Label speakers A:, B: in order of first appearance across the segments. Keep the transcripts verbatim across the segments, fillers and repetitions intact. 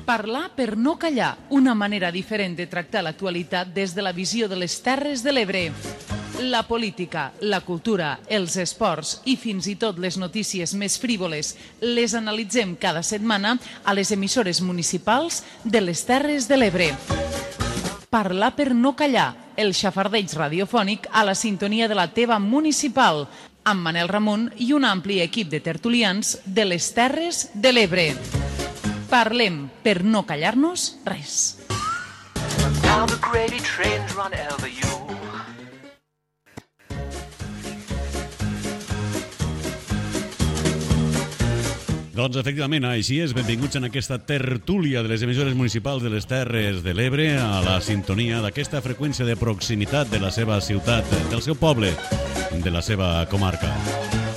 A: Parlar per no callar, una manera diferent de tractar l'actualitat des de la visió de les Terres de l'Ebre. La política, la cultura, els esports i fins i tot les notícies més frívoles les analitzem cada setmana a les emissores municipals de les Terres de l'Ebre. Parlar per no callar, el xafardeig radiofònic a la sintonia de la teva municipal, amb Manel Ramon i un ampli equip de tertulians de les Terres de l'Ebre. Parlem per no callar-nos res.
B: Doncs efectivament, així és. Benvinguts en aquesta tertúlia de les emissores municipals de les Terres de l'Ebre a la sintonia d'aquesta freqüència de proximitat de la seva ciutat, del seu poble, de la seva comarca.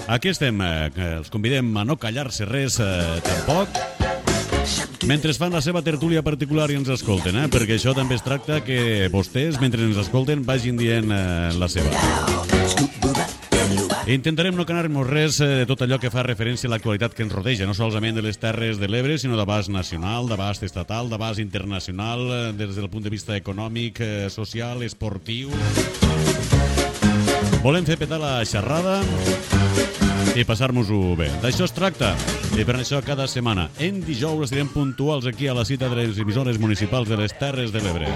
B: Aquí estem, els convidem a no callar-se res eh, tampoc, mentre fan la seva tertúlia particular i ens escolten, eh? Perquè això també es tracta que vostès, mentre ens escolten, vagin dient eh, la seva. Intentarem no canar-nos res de tot allò que fa referència a l'actualitat que ens rodeja, no solament de les Terres de l'Ebre, sinó d'abast nacional, d'abast estatal, d'abast internacional, des del punt de vista econòmic, social, esportiu. Volem fer petar la xerrada i passar-nos-ho bé. D'això es tracta. I per això cada setmana, en dijous, estarem puntuals aquí a la cita de les emissores municipals de les Terres de l'Ebre.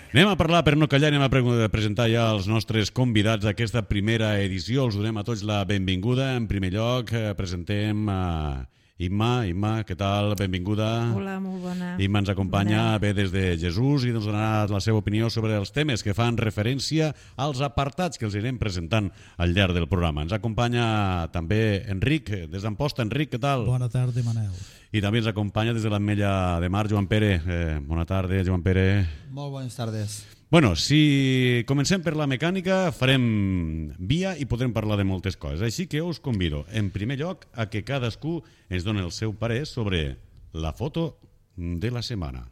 B: Anem a parlar per no callar, anem a pre- presentar ja els nostres convidats d'aquesta primera edició. Els donem a tots la benvinguda. En primer lloc, eh, presentem a Imma. Imma, què tal? Benvinguda.
C: Hola, molt bona.
B: Imma ens acompanya bé des de Jesús i ens donarà la seva opinió sobre els temes que fan referència als apartats que els anirem presentant al llarg del programa. Ens acompanya també Enric, des d'Amposta. Enric, què tal?
D: Bona tarda, Manel.
B: I també ens acompanya des de l'Ametlla de Mar, Joan Pere. Eh, bona tarda, Joan Pere.
E: Molt bones tardes.
B: Bueno, si comencem per la mecànica, farem via i podrem parlar de moltes coses. Així que us convido, en primer lloc, a que cadascú ens doni el seu parer sobre la foto de la setmana.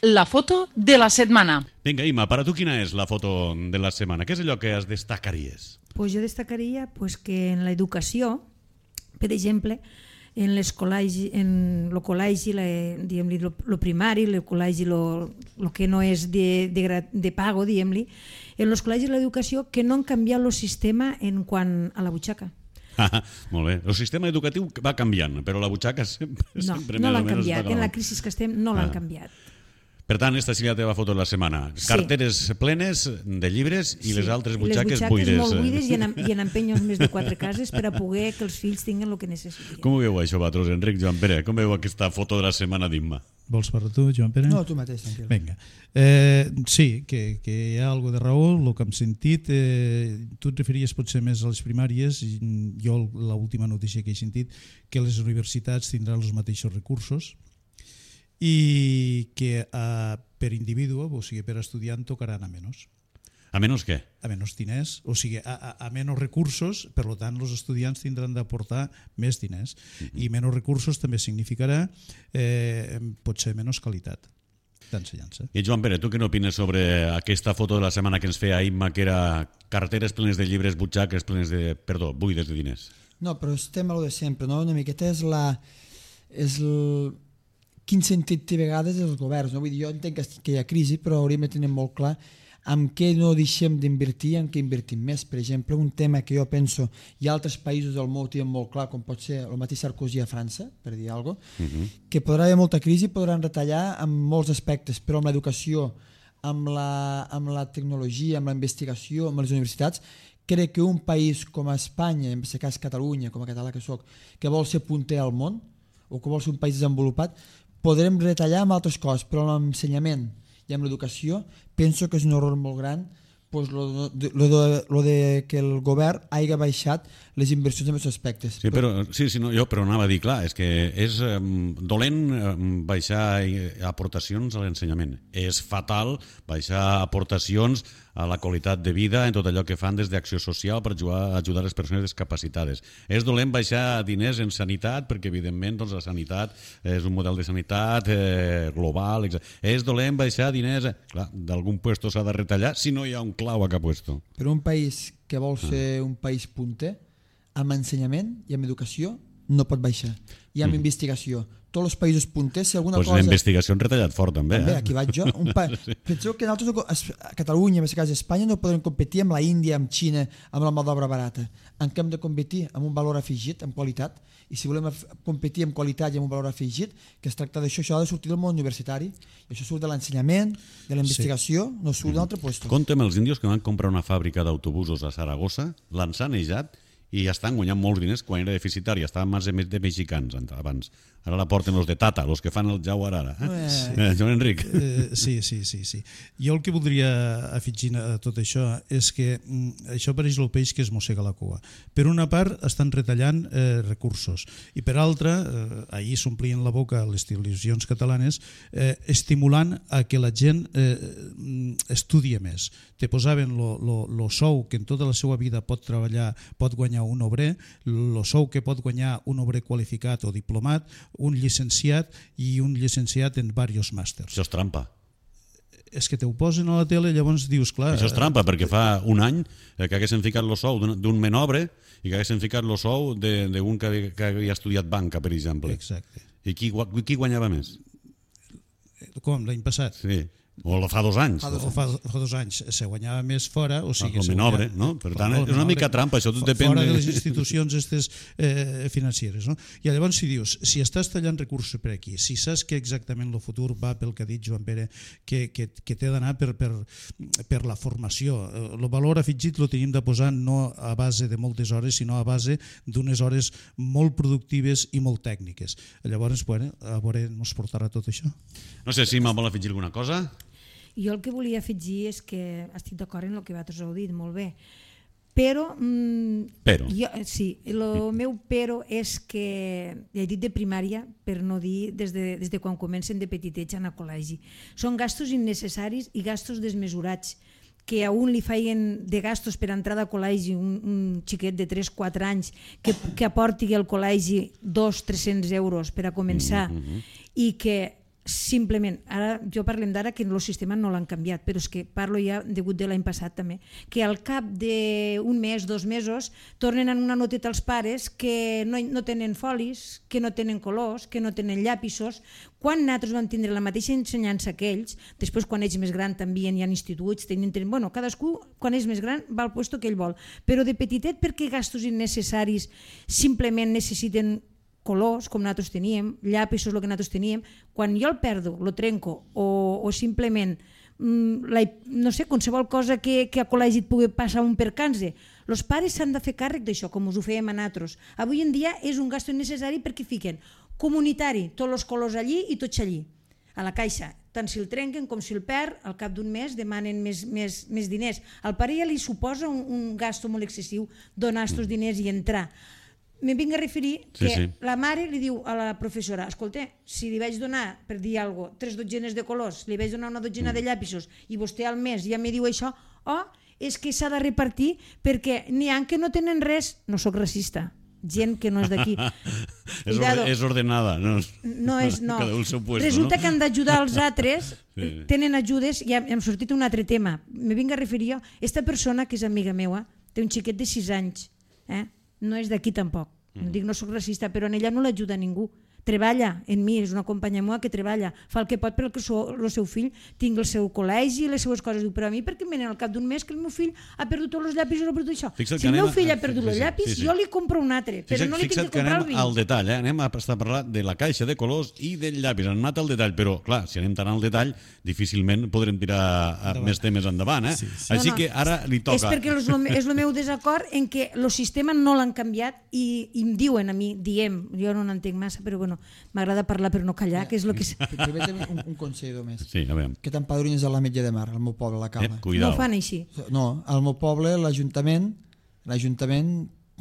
A: La foto de la setmana.
B: Vinga, Imma, per a tu quina és la foto de la setmana? Què és allò que es destacaries?
C: Pues jo destacaria pues, que en l'educació, per exemple, en el col·legi, en el col·legi, diguem-li, el primari, el col·legi, el que no és de, de, de pago, diguem-li, en els col·legis l'educació que no han canviat el sistema en quant a la butxaca.
B: Ah, molt bé. El sistema educatiu va canviant, però la butxaca sempre...
C: No,
B: sempre
C: no
B: més o
C: l'han
B: menys
C: canviat.
B: està
C: En la
B: com-
C: crisi que estem no l'han
B: Ah.
C: canviat.
B: Per tant, esta seria la teva foto de la setmana.
C: Sí.
B: Carteres plenes de llibres i
C: Sí.
B: les altres
C: I
B: butxaques,
C: les
B: buides.
C: molt buides i en, i en empenyos més de quatre cases per a poder que els fills tinguin el que necessiten.
B: Com ho veu això, vosaltres, Enric, Joan Pere? Com veu aquesta foto de la setmana d'Imma?
D: Vols parlar tu, Joan Pere?
E: No, tu mateix, tranquil.
D: Vinga. Eh, sí, que, que hi ha alguna de raó, el que hem sentit. Eh, tu et referies potser més a les primàries, i jo l'última notícia que he sentit, que les universitats tindran els mateixos recursos i que eh, per individu, o sigui, per estudiant, tocaran a menys.
B: A menys què?
D: A menys diners, o sigui, a, a, a menys recursos, per tant, els estudiants tindran d'aportar més diners. Uh-huh. I menys recursos també significarà eh, potser menys qualitat d'ensenyança.
B: I Joan Pere, tu què n'opines sobre aquesta foto de la setmana que ens feia Imma, que era carteres plenes de llibres, butxaques plenes de... Perdó, buides de diners?
E: No, però estem a lo de sempre, no? Una miqueta és la... És el... Quin sentit té a vegades els governs, no? Vull dir, jo entenc que, que hi ha crisi, però hauríem de tenir molt clar amb què no deixem d'invertir, en què invertim més. Per exemple, un tema que jo penso, hi ha altres països del món que tenen molt clar, com pot ser el mateix Sarkozy a França, per dir alguna cosa, uh-huh. que podrà haver molta crisi, podran retallar en molts aspectes, però amb l'educació, amb la, amb la tecnologia, amb la investigació, amb les universitats, crec que un país com a Espanya, en aquest cas Catalunya, com a català que soc, que vol ser punter al món, o que vol ser un país desenvolupat, podrem retallar amb altres coses, però amb l'ensenyament i amb l'educació penso que és un error molt gran pues, lo, de, lo, de, lo de que el govern hagi baixat les inversions en aquests aspectes.
B: Sí, però, sí, sí, no, jo però anava a dir, clar, és que és eh, dolent eh, baixar aportacions a l'ensenyament. És fatal baixar aportacions a la qualitat de vida en tot allò que fan des d'Acció Social per ajudar, ajudar les persones discapacitades. És dolent baixar diners en sanitat perquè, evidentment, doncs, la sanitat és un model de sanitat eh, global. Etcètera. És dolent baixar diners... Clar, d'algun puesto s'ha de retallar si no hi ha un clau a cap puesto.
E: Però un país que vol ser un país punter, amb ensenyament i amb educació, no pot baixar. I amb mm. investigació. tots els països punters, si alguna
B: pues
E: cosa...
B: la investigació han retallat fort, també.
E: També,
B: eh?
E: aquí vaig jo. Un pa... sí. Penseu que nosaltres, no, a Catalunya, en aquest cas a Espanya, no podem competir amb la Índia, amb Xina, amb la mà d'obra barata. En què hem de competir? Amb un valor afegit, amb qualitat. I si volem competir amb qualitat i amb un valor afegit, que es tracta d'això, això ha de sortir del món universitari. I això surt de l'ensenyament, de la investigació, sí. no surt d'un altre lloc.
B: Compte amb els índios que van comprar una fàbrica d'autobusos a Saragossa, l'han sanejat i ja estan guanyant molts diners quan era deficitari. Estaven mans de mexicans abans. Ara la porten els de Tata, els que fan el Jaguar ara. Eh? Sí. Eh, Joan Enric.
D: Eh, sí, sí, sí, sí. Jo el que voldria afegir a tot això és que mm, això pareix el peix que es mossega la cua. Per una part estan retallant eh, recursos i per altra, eh, ahir s'omplien la boca les televisions catalanes eh, estimulant a que la gent eh, estudie més. Te posaven el sou que en tota la seva vida pot treballar, pot guanyar un obrer, el sou que pot guanyar un obrer qualificat o diplomat, un llicenciat i un llicenciat en diversos màsters.
B: Això és trampa.
D: És que te ho posen a la tele, llavors dius, clar...
B: Això és trampa, perquè fa un any que haguessin ficat el sou d'un menobre i que haguessin ficat el sou d'un que, que havia estudiat banca, per exemple.
D: Exacte.
B: I qui, qui guanyava més?
D: Com, l'any passat?
B: Sí. O fa dos anys.
D: Fa dos, o fa, fa dos anys se guanyava més fora, o sigui...
B: El menobre, no? Per tant, és una mica trampa, això tot depèn...
D: Fora de les institucions estes eh, financeres, no? I llavors si dius, si estàs tallant recursos per aquí, si saps que exactament el futur va pel que ha dit Joan Pere, que, que, que té d'anar per, per, per la formació, el valor afegit lo tenim de posar no a base de moltes hores, sinó a base d'unes hores molt productives i molt tècniques. Llavors, bueno, a veure, ens portarà tot això.
B: No sé si me'l vol afegir alguna cosa.
C: Jo el que volia afegir és que estic d'acord en el que vosaltres heu dit, molt bé, però, mm,
B: però.
C: Jo, sí, el meu però és que, ja he dit de primària, per no dir des de, des de quan comencen de petitets a anar a col·legi. Són gastos innecessaris i gastos desmesurats, que a un li feien de gastos per entrar a col·legi un, un xiquet de tres o quatre anys que, que aporti al col·legi dos o tres-cents euros per a començar mm-hmm. i que simplement, ara jo parlem d'ara que el sistema no l'han canviat, però és que parlo ja degut de l'any passat també, que al cap d'un mes, dos mesos, tornen a una noteta als pares que no, no tenen folis, que no tenen colors, que no tenen llapisos, quan nosaltres vam tindre la mateixa ensenyança que ells, després quan ells més gran també hi ha instituts, tenen, tenen, bueno, cadascú quan és més gran va al puesto que ell vol, però de petitet perquè gastos innecessaris simplement necessiten colors, com nosaltres teníem, llapisos, el que nosaltres teníem, quan jo el perdo, lo trenco, o, o simplement, mm, la, no sé, qualsevol cosa que, que a col·legi et pugui passar un percanse, els pares s'han de fer càrrec d'això, com us ho fèiem a nosaltres. Avui en dia és un gasto innecessari perquè fiquen comunitari, tots els colors allí i tots allí, a la caixa. Tant si el trenquen com si el perd, al cap d'un mes demanen més, més, més diners. Al pare ja li suposa un, un gasto molt excessiu donar aquests diners i entrar. Me vinc a referir que sí, sí. La mare li diu a la professora, escolta, si li vaig donar, per dir alguna cosa, tres dotzenes de colors, li vaig donar una dotzena de llapisos i vostè al mes ja me diu això, oh, és que s'ha de repartir perquè n'hi ha que no tenen res, no sóc racista, gent que no és d'aquí.
B: és, orde, és ordenada. No,
C: no és, no.
B: Puesto,
C: resulta
B: no?
C: que han d'ajudar els altres,
B: sí.
C: Tenen ajudes, i hem sortit un altre tema. Me vinc a referir jo, aquesta persona que és amiga meua, té un xiquet de sis anys, eh? No és d'aquí tampoc, no dic no soc racista, però en ella no l'ajuda ningú. Treballa en mi, és una companya meva que treballa, fa el que pot perquè el seu fill tingui el seu col·legi i les seues coses. Diu, però a mi perquè em venen al cap d'un mes que el meu fill ha perdut tots els llapis o no ha perdut això.
B: Fixa't
C: si el meu
B: a...
C: fill ha perdut
B: sí,
C: els llapis,
B: sí, sí.
C: jo li compro un altre, però
B: Fixa't,
C: no li tinc que comprar el
B: vinc. Al detall, eh? Anem a estar a parlar de la caixa de colors i del llapis. Han anat al detall, però clar, si anem tant al detall, difícilment podrem tirar més temes endavant. Eh? Sí, sí. Així no, no. que ara li toca...
C: És perquè és el meu desacord en què el sistema no l'han canviat i, i em diuen a mi, diem, jo no n'entenc massa, però bueno, m'agrada parlar per no callar, que és el que...
E: Permetem un, un consell només.
B: Sí, a veure.
E: Que t'empadrines a l'Ametlla de Mar, al meu poble, a la Cala.
B: Eh,
C: no ho fan així.
E: No, al meu poble, l'Ajuntament, l'Ajuntament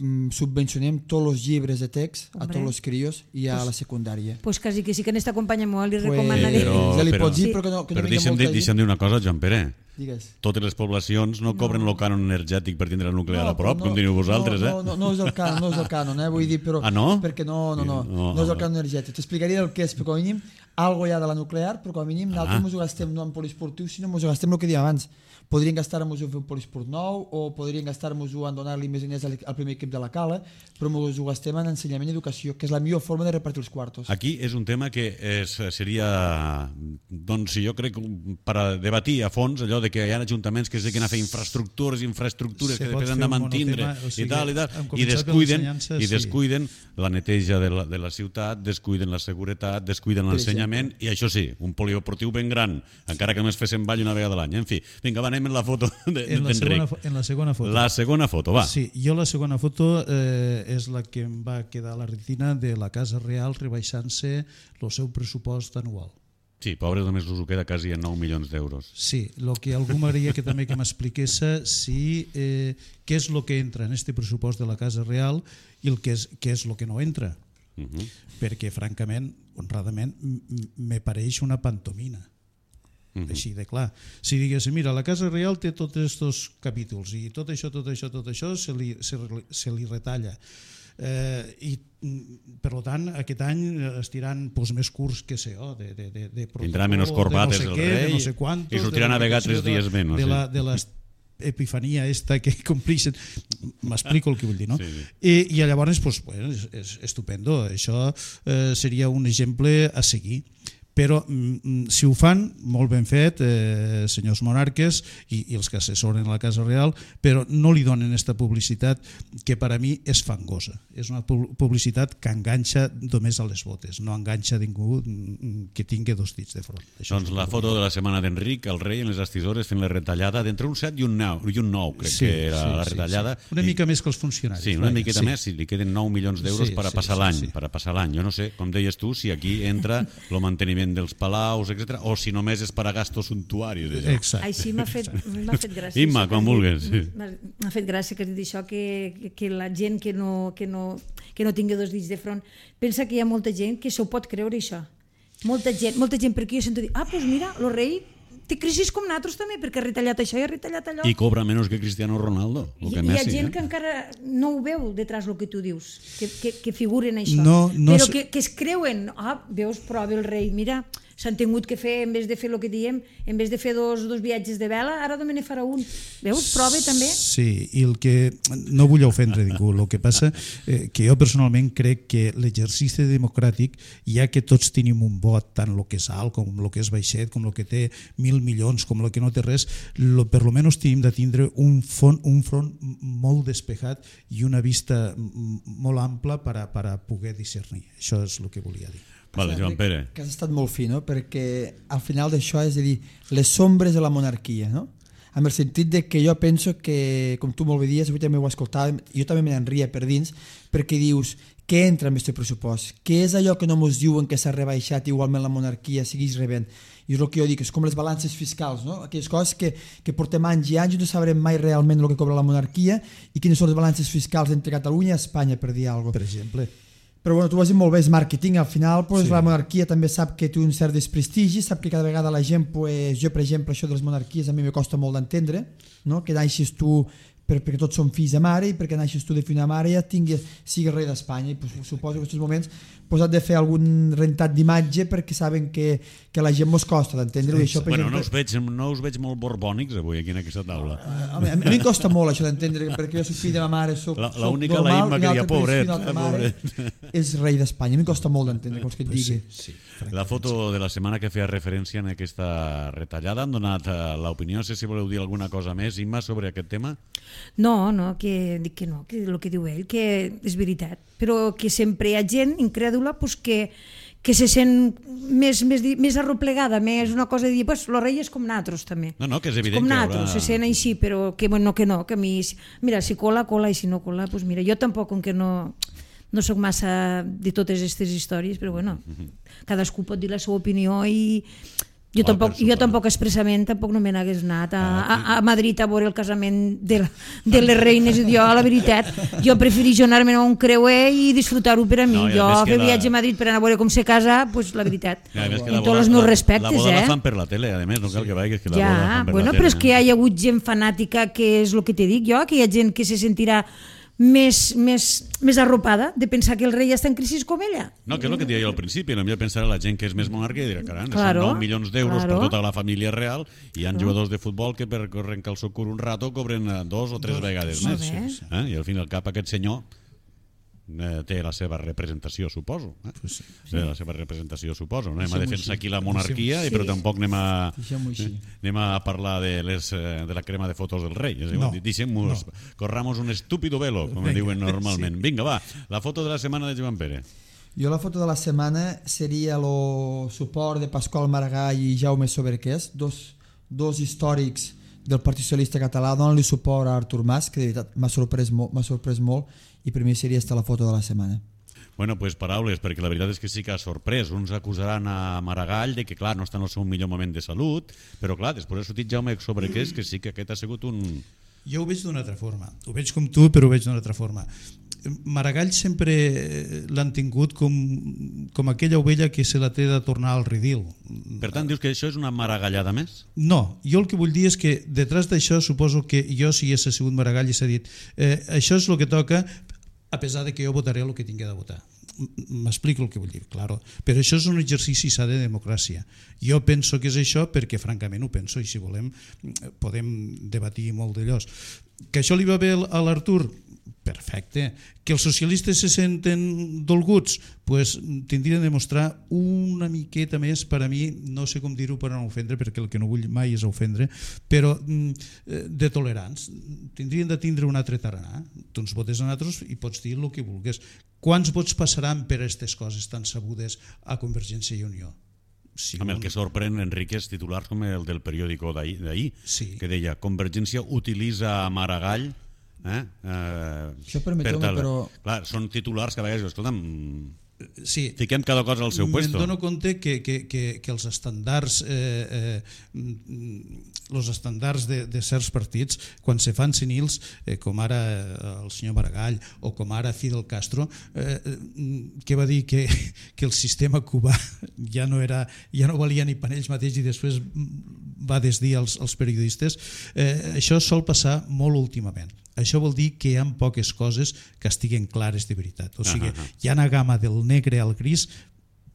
E: mm, subvencionem tots els llibres de text Hombre. a tots els crios i a pues, la secundària.
C: Pues quasi que sí que en esta companya meva li
E: pues,
C: recomanaré.
E: Però, ja li
B: però,
E: pots dir, però que no, que
B: però
E: no
B: deixa'm, dir, deixa'm dir una cosa, Joan Pere.
E: Digues.
B: Totes les poblacions no, no. cobren el cànon energètic per tindre el nuclear
E: no,
B: a prop,
E: no,
B: com teniu vosaltres,
E: no,
B: eh?
E: No, no, no és el cànon, no és el cànon, eh? Vull dir, però...
B: Ah, no?
E: Perquè no, no, no, no, no és el cànon energètic. T'explicaria el que és, perquè mínim algo ja de la nuclear, però com a mínim nosaltres ens ho gastem no en poliesportiu, sinó ens ho gastem el que dèiem abans. Podrien gastar-nos en fer un poliesport nou o podrien gastar-nos-ho en donar-li més diners al primer equip de la Cala, però ens ho gastem en ensenyament i educació, que és la millor forma de repartir els quartos.
B: Aquí és un tema que és, seria, doncs jo crec, per a debatir a fons allò de que hi ha ajuntaments que es dediquen a fer infraestructures, infraestructures que després han de mantindre i tal i tal, i descuiden, i descuiden la neteja de la, de la ciutat, descuiden la seguretat, descuiden l'ensenyament, i això sí, un poliesportiu ben gran, encara que només fessin ball una vegada a l'any. En fi, vinga, va, anem en la foto d'Enric.
D: En la segona foto.
B: La segona foto, va.
D: Sí, jo la segona foto eh, és la que em va quedar a la retina de la Casa Real rebaixant-se el seu pressupost anual.
B: Sí, pobre, només us ho queda quasi en nou milions d'euros.
D: Sí, el que algú m'agradaria que també que m'expliqués si eh, què és el que entra en este pressupost de la Casa Real i el que és, què és el que no entra. Uh -huh. Perquè, francament, honradament, me pareix una pantomina. Uh-huh. Així de clar. Si diguéssim, mira, la Casa Real té tots aquests capítols i tot això, tot això, tot això se li, se, se li retalla. Eh, i per tant aquest any estiran pues, més curts que sé oh, de, de, de, de
B: tindrà menys corbates
D: no sé
B: el
D: què,
B: rei
D: no sé quantos,
B: i sortirà a navegar tres dies menys
D: de la, de la epifania esta que complixen, m'explico el que vull dir, no? Sí, sí. I, i llavors pues, bueno, és, és estupendo, això eh, seria un exemple a seguir. Però mm, si ho fan, molt ben fet, eh, senyors monarques i, i els que assessoren la Casa Real, però no li donen aquesta publicitat que per a mi és fangosa. És una publicitat que enganxa només a les botes, no enganxa ningú que tingui dos dits de front. Això
B: doncs la foto de la setmana d'Enric, el rei en les estissores fent la retallada d'entre un set i un nou, i un nou crec sí, que era sí, la retallada.
D: Sí, sí. Una mica més que els funcionaris.
B: Sí, una miqueta sí. més, si li queden nou milions d'euros sí, per a passar sí, l'any. Sí, sí. Per a passar l'any. Jo no sé, com deies tu, si aquí entra el manteniment dels palaus, etcètera, o si només és per a gastos suntuaris.
C: Ai, sí, m'ha fet, m'ha fet gràcia.
B: Imma, quan vulguis. Sí.
C: M'ha fet gràcia que has dit això, que, que la gent que no, que, no, que no tingui dos dits de front, pensa que hi ha molta gent que s'ho pot creure, això. Molta gent, molta gent, perquè jo sento dir, ah, doncs pues mira, el rei té crisis com nosaltres també, perquè ha retallat això i ha retallat allò.
B: I cobra menys que Cristiano Ronaldo.
C: I,
B: que
C: hi
B: Messi,
C: ha gent
B: eh?
C: que encara no ho veu detrás el que tu dius, que, que, que figuren això.
D: No, no
C: però que, que es creuen, ah, veus, prova el rei, mira, s'han tingut que fer, en vez de fer el que diem, en vez de fer dos, dos viatges de vela, ara només ne farà un. Veus? Prova també.
D: Sí, i el que... No vull ofendre ningú, el que passa eh, que jo personalment crec que l'exercici democràtic, ja que tots tenim un vot, tant el que és alt com el que és baixet, com el que té mil milions, com el que no té res, lo, per lo menys tenim de tindre un front, un front molt despejat i una vista molt ampla per a, per a poder discernir. Això és el que volia dir.
B: Vale, Joan Pere.
E: Que has estat molt fi, no? Perquè al final d'això és a dir, les sombres de la monarquia, no? En el sentit de que jo penso que, com tu molt bé dies, avui també ho escoltàvem, jo també me n'enria per dins, perquè dius, què entra en aquest pressupost? Què és allò que no ens diuen que s'ha rebaixat igualment la monarquia segueix rebent? I és el que jo dic, és com les balances fiscals, no? Aquelles coses que, que portem anys i anys i no sabrem mai realment el que cobra la monarquia i quines són les balances fiscals entre Catalunya i Espanya, per dir alguna cosa.
D: Per exemple.
E: Però bueno, tu ho has dit molt bé, és màrqueting, al final pues, sí. La monarquia també sap que té un cert desprestigi, sap que cada vegada la gent, pues, jo per exemple, això de les monarquies a mi me costa molt d'entendre, no? Que naixis tu per, perquè tots som fills de mare i perquè naixis tu de fill de mare ja tingui, sigui rei d'Espanya i pues, suposo que en aquests moments pues, has de fer algun rentat d'imatge perquè saben que, que la gent mos costa d'entendre-ho.
B: Sí, bueno, exemple... no, us veig, no us veig molt borbònics avui aquí en aquesta taula.
E: A, a, mi, a mi em costa molt això d'entendre perquè jo soc fill de ma mare, soc,
B: la,
E: soc
B: l'única
E: normal,
B: la Imma que diria pobret,
E: pobret és rei d'Espanya. A mi em costa molt d'entendre com que et digui.
B: Sí, sí. La foto de la setmana que feia referència en aquesta retallada han donat l'opinió, no sé si voleu dir alguna cosa més, Imma, sobre aquest tema?
C: No, no, que dic que no, que el que diu ell, que és veritat, però que sempre hi ha gent incrèdula pues, que, que se sent més, més, més arroplegada, més una cosa de dir, pues, el rei és com nosaltres també.
B: No, no, que és evident
C: com
B: que
C: haurà... se sent així, però que bueno, que no, que a mi, mira, si cola, cola, i si no cola, pues mira, jo tampoc, com que no, no sóc massa de totes aquestes històries, però bueno, cadascú pot dir la seva opinió i jo oh, tampoc, jo tampoc expressament tampoc no me n'hagués anat a, a, a Madrid a veure el casament de, la, de les reines. Jo, la veritat, jo preferís anar-me a un creuer i disfrutar-ho per a mi. No, jo fer la... viatge a Madrid per anar a veure com se casa, pues la veritat, ja, amb tots els meus respectes.
B: La boda
C: eh?
B: la fan per la tele, a més, no cal que vagis, que la
C: ja,
B: boda la fan per
C: bueno,
B: la tele.
C: Però és que hi ha hagut gent fanàtica, que és el que te dic jo, que hi ha gent que se sentirà més, més, més arropada de pensar que el rei està en crisi com ella.
B: No, que és el que deia jo al principi, potser pensar la gent que és més monarca i dirà, caram,
C: Claro,
B: són nou milions d'euros
C: claro.
B: per tota la família real i hi ha jugadors de futbol que per corrent calçó curt un rato cobren eh, dos o tres vegades
C: Molt
B: més.
C: bé.
B: Eh? I al fin i al cap aquest senyor eh, té la seva representació, suposo. Eh?
D: Pues sí.
B: Té la seva representació, suposo. No anem a
E: Deixem-ho
B: defensar
E: així.
B: aquí la monarquia,
E: Sí.
B: però tampoc anem a,
E: Deixem-ho així.
B: anem a parlar de, les, eh, de la crema de fotos del rei. És igual,
D: No,
B: deixem-nos, corramos un estúpido velo, com
D: Vinga,
B: diuen normalment. Vinga, va, la foto de la setmana de Joan Pere.
E: Jo la foto de la setmana seria el suport de Pasqual Maragall i Jaume Soberquès, dos, dos històrics del Partit Socialista Català, donen-li suport a Artur Mas, que de veritat m'ha sorprès, mo- m'ha sorprès molt, i per mi seria esta la foto de la setmana.
B: Bueno, pues paraules, perquè la veritat és que sí que ha sorprès. Uns acusaran a Maragall de que, clar, no està en el seu millor moment de salut, però, clar, després ha sortit Jaume Soberquès, que sí que aquest ha sigut un...
D: Jo ho veig d'una altra forma. Ho veig com tu, però ho veig d'una altra forma. Maragall sempre l'han tingut com, com aquella ovella que se la té de tornar al redil.
B: Per tant, dius que això és una maragallada més?
D: No, jo el que vull dir és que detrás d'això suposo que jo, si hagués sigut Maragall, s'ha dit eh, això és el que toca, a pesar de que jo votaré el que tingui de votar. M'explico el que vull dir, claro. Però això és un exercici sa de democràcia. Jo penso que és això perquè francament ho penso i si volem podem debatir molt d'allò. Que això li va bé a l'Artur? Perfecte. Que els socialistes se senten dolguts? Pues tindrien de mostrar una miqueta més, per a mi, no sé com dir-ho per no ofendre, perquè el que no vull mai és ofendre, però de tolerants. Tindrien de tindre un altre tarannà. Tu ens votes a nosaltres i pots dir el que vulguis. Quants vots passaran per aquestes coses tan sabudes a Convergència i Unió?
B: Sí, amb el que sorprèn, Enrique, és titulars com el del periòdico d'ahir,
D: sí.
B: que deia Convergència utilitza a Maragall eh? Eh,
E: Això permeteu-me,
B: per tal...
E: però...
B: Clar, són titulars que a vegades, escolta'm,
D: sí.
B: fiquem cada cosa al seu puesto.
D: Me'n dono compte que, que, que, que els estàndards eh, eh, els estàndards de, de certs partits, quan se fan senils, eh, com ara el senyor Maragall o com ara Fidel Castro, eh, que va dir que, que el sistema cubà ja no, era, ja no valia ni per ells mateix i després va desdir als, als periodistes, eh, això sol passar molt últimament. Això vol dir que hi ha poques coses que estiguen clares de veritat. O sigui, uh -huh. hi ha una gamma del negre al gris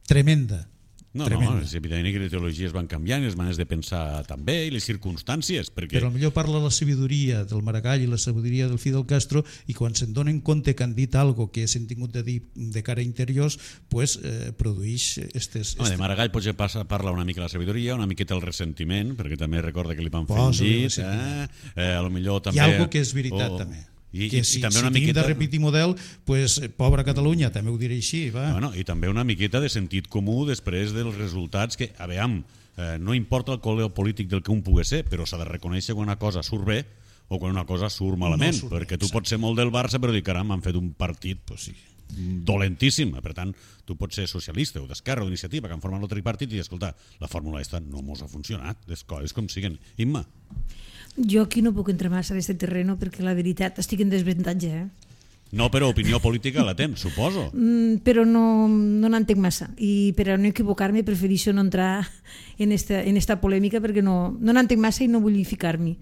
D: tremenda.
B: No, tremenda. No, és evident que les ideologies van canviant, les maneres de pensar també, i les circumstàncies. Perquè...
D: Però potser parla la sabidoria del Maragall i la sabidoria del Fidel Castro i quan se'n donen compte que han dit algo que s'han tingut de dir de cara a interiors, pues, eh, produeix estes...
B: Home, de Maragall potser passa, parla una mica la sabidoria, una miqueta el ressentiment, perquè també recorda que li van fer un llit, eh? eh, a lo millor també...
D: Hi ha algo que és veritat, oh, també. I, que si, i també una si miqueta... de repetir model, pues, pobra Catalunya, també ho diré així. Va.
B: Bueno, I també una miqueta de sentit comú després dels resultats que, a veure, eh, no importa el color polític del que un pugui ser, però s'ha de reconèixer quan una cosa surt bé o quan una cosa surt malament, no surt perquè bé, tu pots ser molt del Barça però dir, caram, han fet un partit pues, sí, dolentíssim. Per tant, tu pots ser socialista o d'Esquerra o d'Iniciativa que han format el tripartit i dir, escolta, la fórmula aquesta no mos ha funcionat, les coses com siguen. Imma?
C: Jo aquí no puc entrar massa en aquest terreno perquè la veritat estic en desavantatge. Eh?
B: No, però opinió política la tens, suposo.
C: Mm, però no, no n'entenc massa i per a no equivocar-me prefereixo no entrar en esta, en esta polèmica perquè no, no n'entenc massa i no vull ficar-m'hi.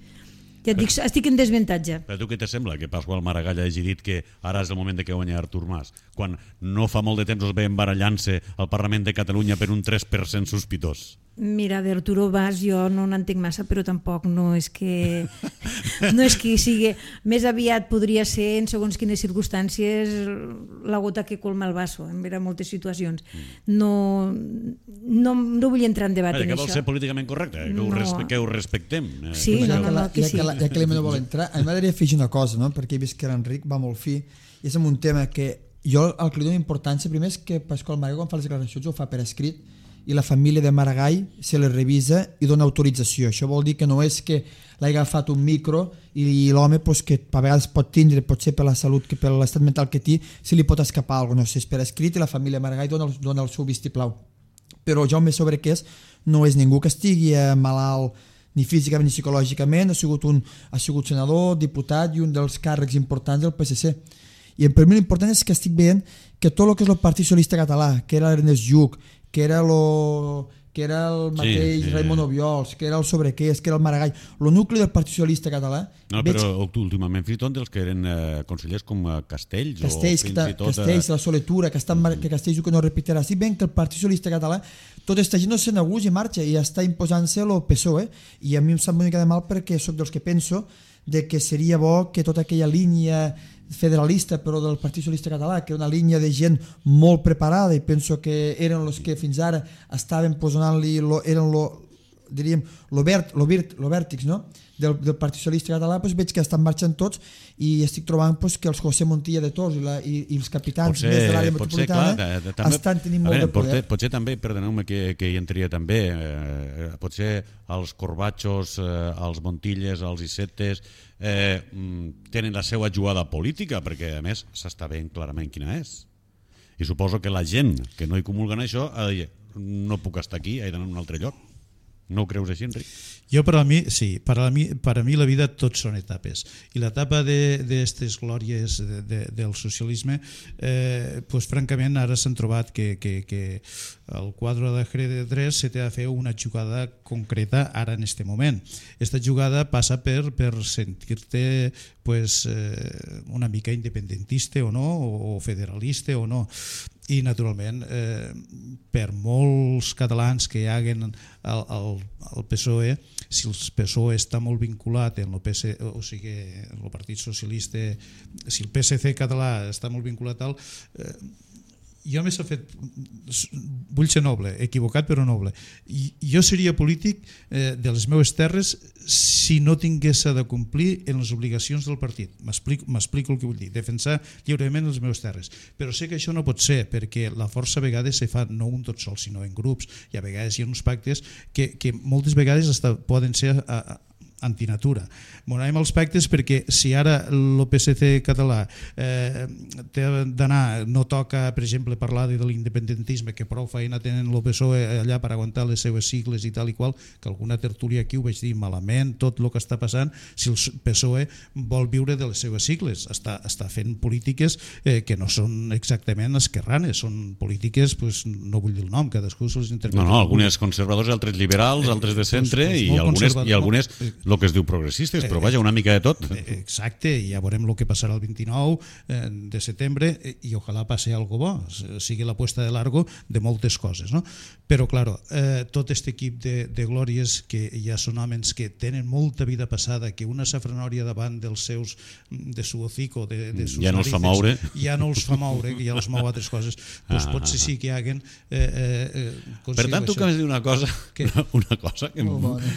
C: Ja et dic, estic en desavantatge.
B: Però tu què te sembla que Pasqual Maragall hagi dit que ara és el moment de que guanyi Artur Mas, quan no fa molt de temps es veien barallant-se al Parlament de Catalunya per un tres per cent sospitós?
C: Mira, d'Arturo Mas jo no n'entenc massa, però tampoc no és que no és que sigui... Més aviat podria ser, en segons quines circumstàncies, la gota que colma el vaso, en vera moltes situacions. No, no, no vull entrar en debat
B: Vaja,
C: en
B: que
C: això.
B: vol ser políticament correcte, que, no. ho, respe que ho respectem.
C: Sí,
E: pues
C: no,
E: ja
C: no,
E: que, la,
C: no, que
E: ja
C: sí.
E: que, la, ja que l'Emma no vol entrar, a mi m'agradaria afegir una cosa, no? Perquè he vist que l'Enric va molt fi, i és un tema que jo el que li dono importància, primer és que Pasqual Maragall quan fa les declaracions ho fa per escrit, i la família de Maragall se les revisa i dona autorització. Això vol dir que no és que l'hagi agafat un micro i l'home pues, que a vegades pot tindre, potser per la salut, que per l'estat mental que té, si li pot escapar alguna cosa. No sé, és per escrit i la família Maragall dona el, dona el seu vistiplau. Però Jaume Soberquès no és ningú que estigui malalt ni físicament ni psicològicament, ha sigut, un, ha sigut senador, diputat i un dels càrrecs importants del P S C. I per mi l'important és que estic veient que tot el que és el Partit Socialista Català, que era l'Ernest Lluch, que era lo, que era el mateix
B: sí, sí.
E: Raimon Obiols, que era el Sobrequés, que era el Maragall, el nucli del Partit Socialista Català.
B: No,
E: veig...
B: però últimament fins i tot dels que eren eh, consellers com eh, Castells,
E: Castells,
B: o fins
E: que,
B: i tot...
E: Castells, la Soletura, que, estan, que Castells que no repetirà. Si ben que el Partit Socialista Català, tota aquesta gent no se n'aguja i marxa i està imposant-se el P S O E, i a mi em sap una mica de mal perquè sóc dels que penso de que seria bo que tota aquella línia federalista però del Partit Socialista Català, que era una línia de gent molt preparada i penso que eren els que fins ara estaven posant-li, lo, eren lo, diríem, lo, vert, lo, virt, lo vèrtix, no? del, del Partit Socialista Català, doncs veig que estan marxant tots i estic trobant doncs, que els José Montilla de Tors i, la, i, i els capitans
B: potser,
E: més de l'àrea metropolitana
B: clar, de, de, també,
E: estan tenint molt
B: veure,
E: de poder.
B: Potser, potser també, perdoneu-me que, que hi entria també, eh, potser els Corbatxos, eh, els Montilles, els Isetes, eh, tenen la seva jugada política, perquè a més s'està veient clarament quina és. I suposo que la gent que no hi comulguen això ha de dir, no puc estar aquí, he d'anar a un altre lloc. No ho creus així, Enric?
D: Jo, per a mi, sí, per a mi, per a mi la vida tot són etapes. I l'etapa d'aquestes glòries de, de, del socialisme, eh, pues, francament, ara s'han trobat que, que, que el quadre de Jerez tres se té de fer una jugada concreta ara en este moment. Esta jugada passa per, per sentir-te pues, eh, una mica independentista o no, o federalista o no. I naturalment eh, per molts catalans que hi haguen al, al, al P S O E, si el P S O E està molt vinculat en el P S, o sigui, el Partit Socialista, si el P S C català està molt vinculat al eh, jo m'he fet, vull ser noble, equivocat però noble, i jo seria polític eh, de les meves terres si no tingués de complir en les obligacions del partit. M'explico el que vull dir, defensar lliurement les meves terres, però sé que això no pot ser perquè la força a vegades se fa no un tot sol sinó en grups, i a vegades hi ha uns pactes que, que moltes vegades hasta poden ser a, a, antinatura. M'anem als pactes perquè si ara el P S C català eh, té d'anar, no toca per exemple parlar de l'independentisme, que prou feina tenen el P S O E allà per aguantar les seves sigles i tal i qual, que alguna tertúlia aquí ho vaig dir malament, tot el que està passant, si el P S O E vol viure de les seves sigles, està, està fent polítiques eh, que no són exactament esquerranes, són polítiques, pues, no vull dir el nom, cadascú se'ls interpreta.
B: No, no, algunes conservadors, altres liberals, altres de centre, eh, i, algunes, i algunes el que es diu progressistes, però vaja, una mica de tot.
D: Exacte, i ja veurem el que passarà el vint-i-nou de setembre i ojalà passi algo bo, sigui la puesta de largo de moltes coses, no? Però, claro, eh, tot aquest equip de, de glòries que ja són homes que tenen molta vida passada, que una safranòria davant dels seus, de su hocico, de, de sus
B: ja no els fa moure.
D: Ja no els fa moure, que ja els mou altres coses, doncs ah, potser sí que hi haguen... Eh, eh,
B: per tant, tu acabes de dir una cosa, una cosa que,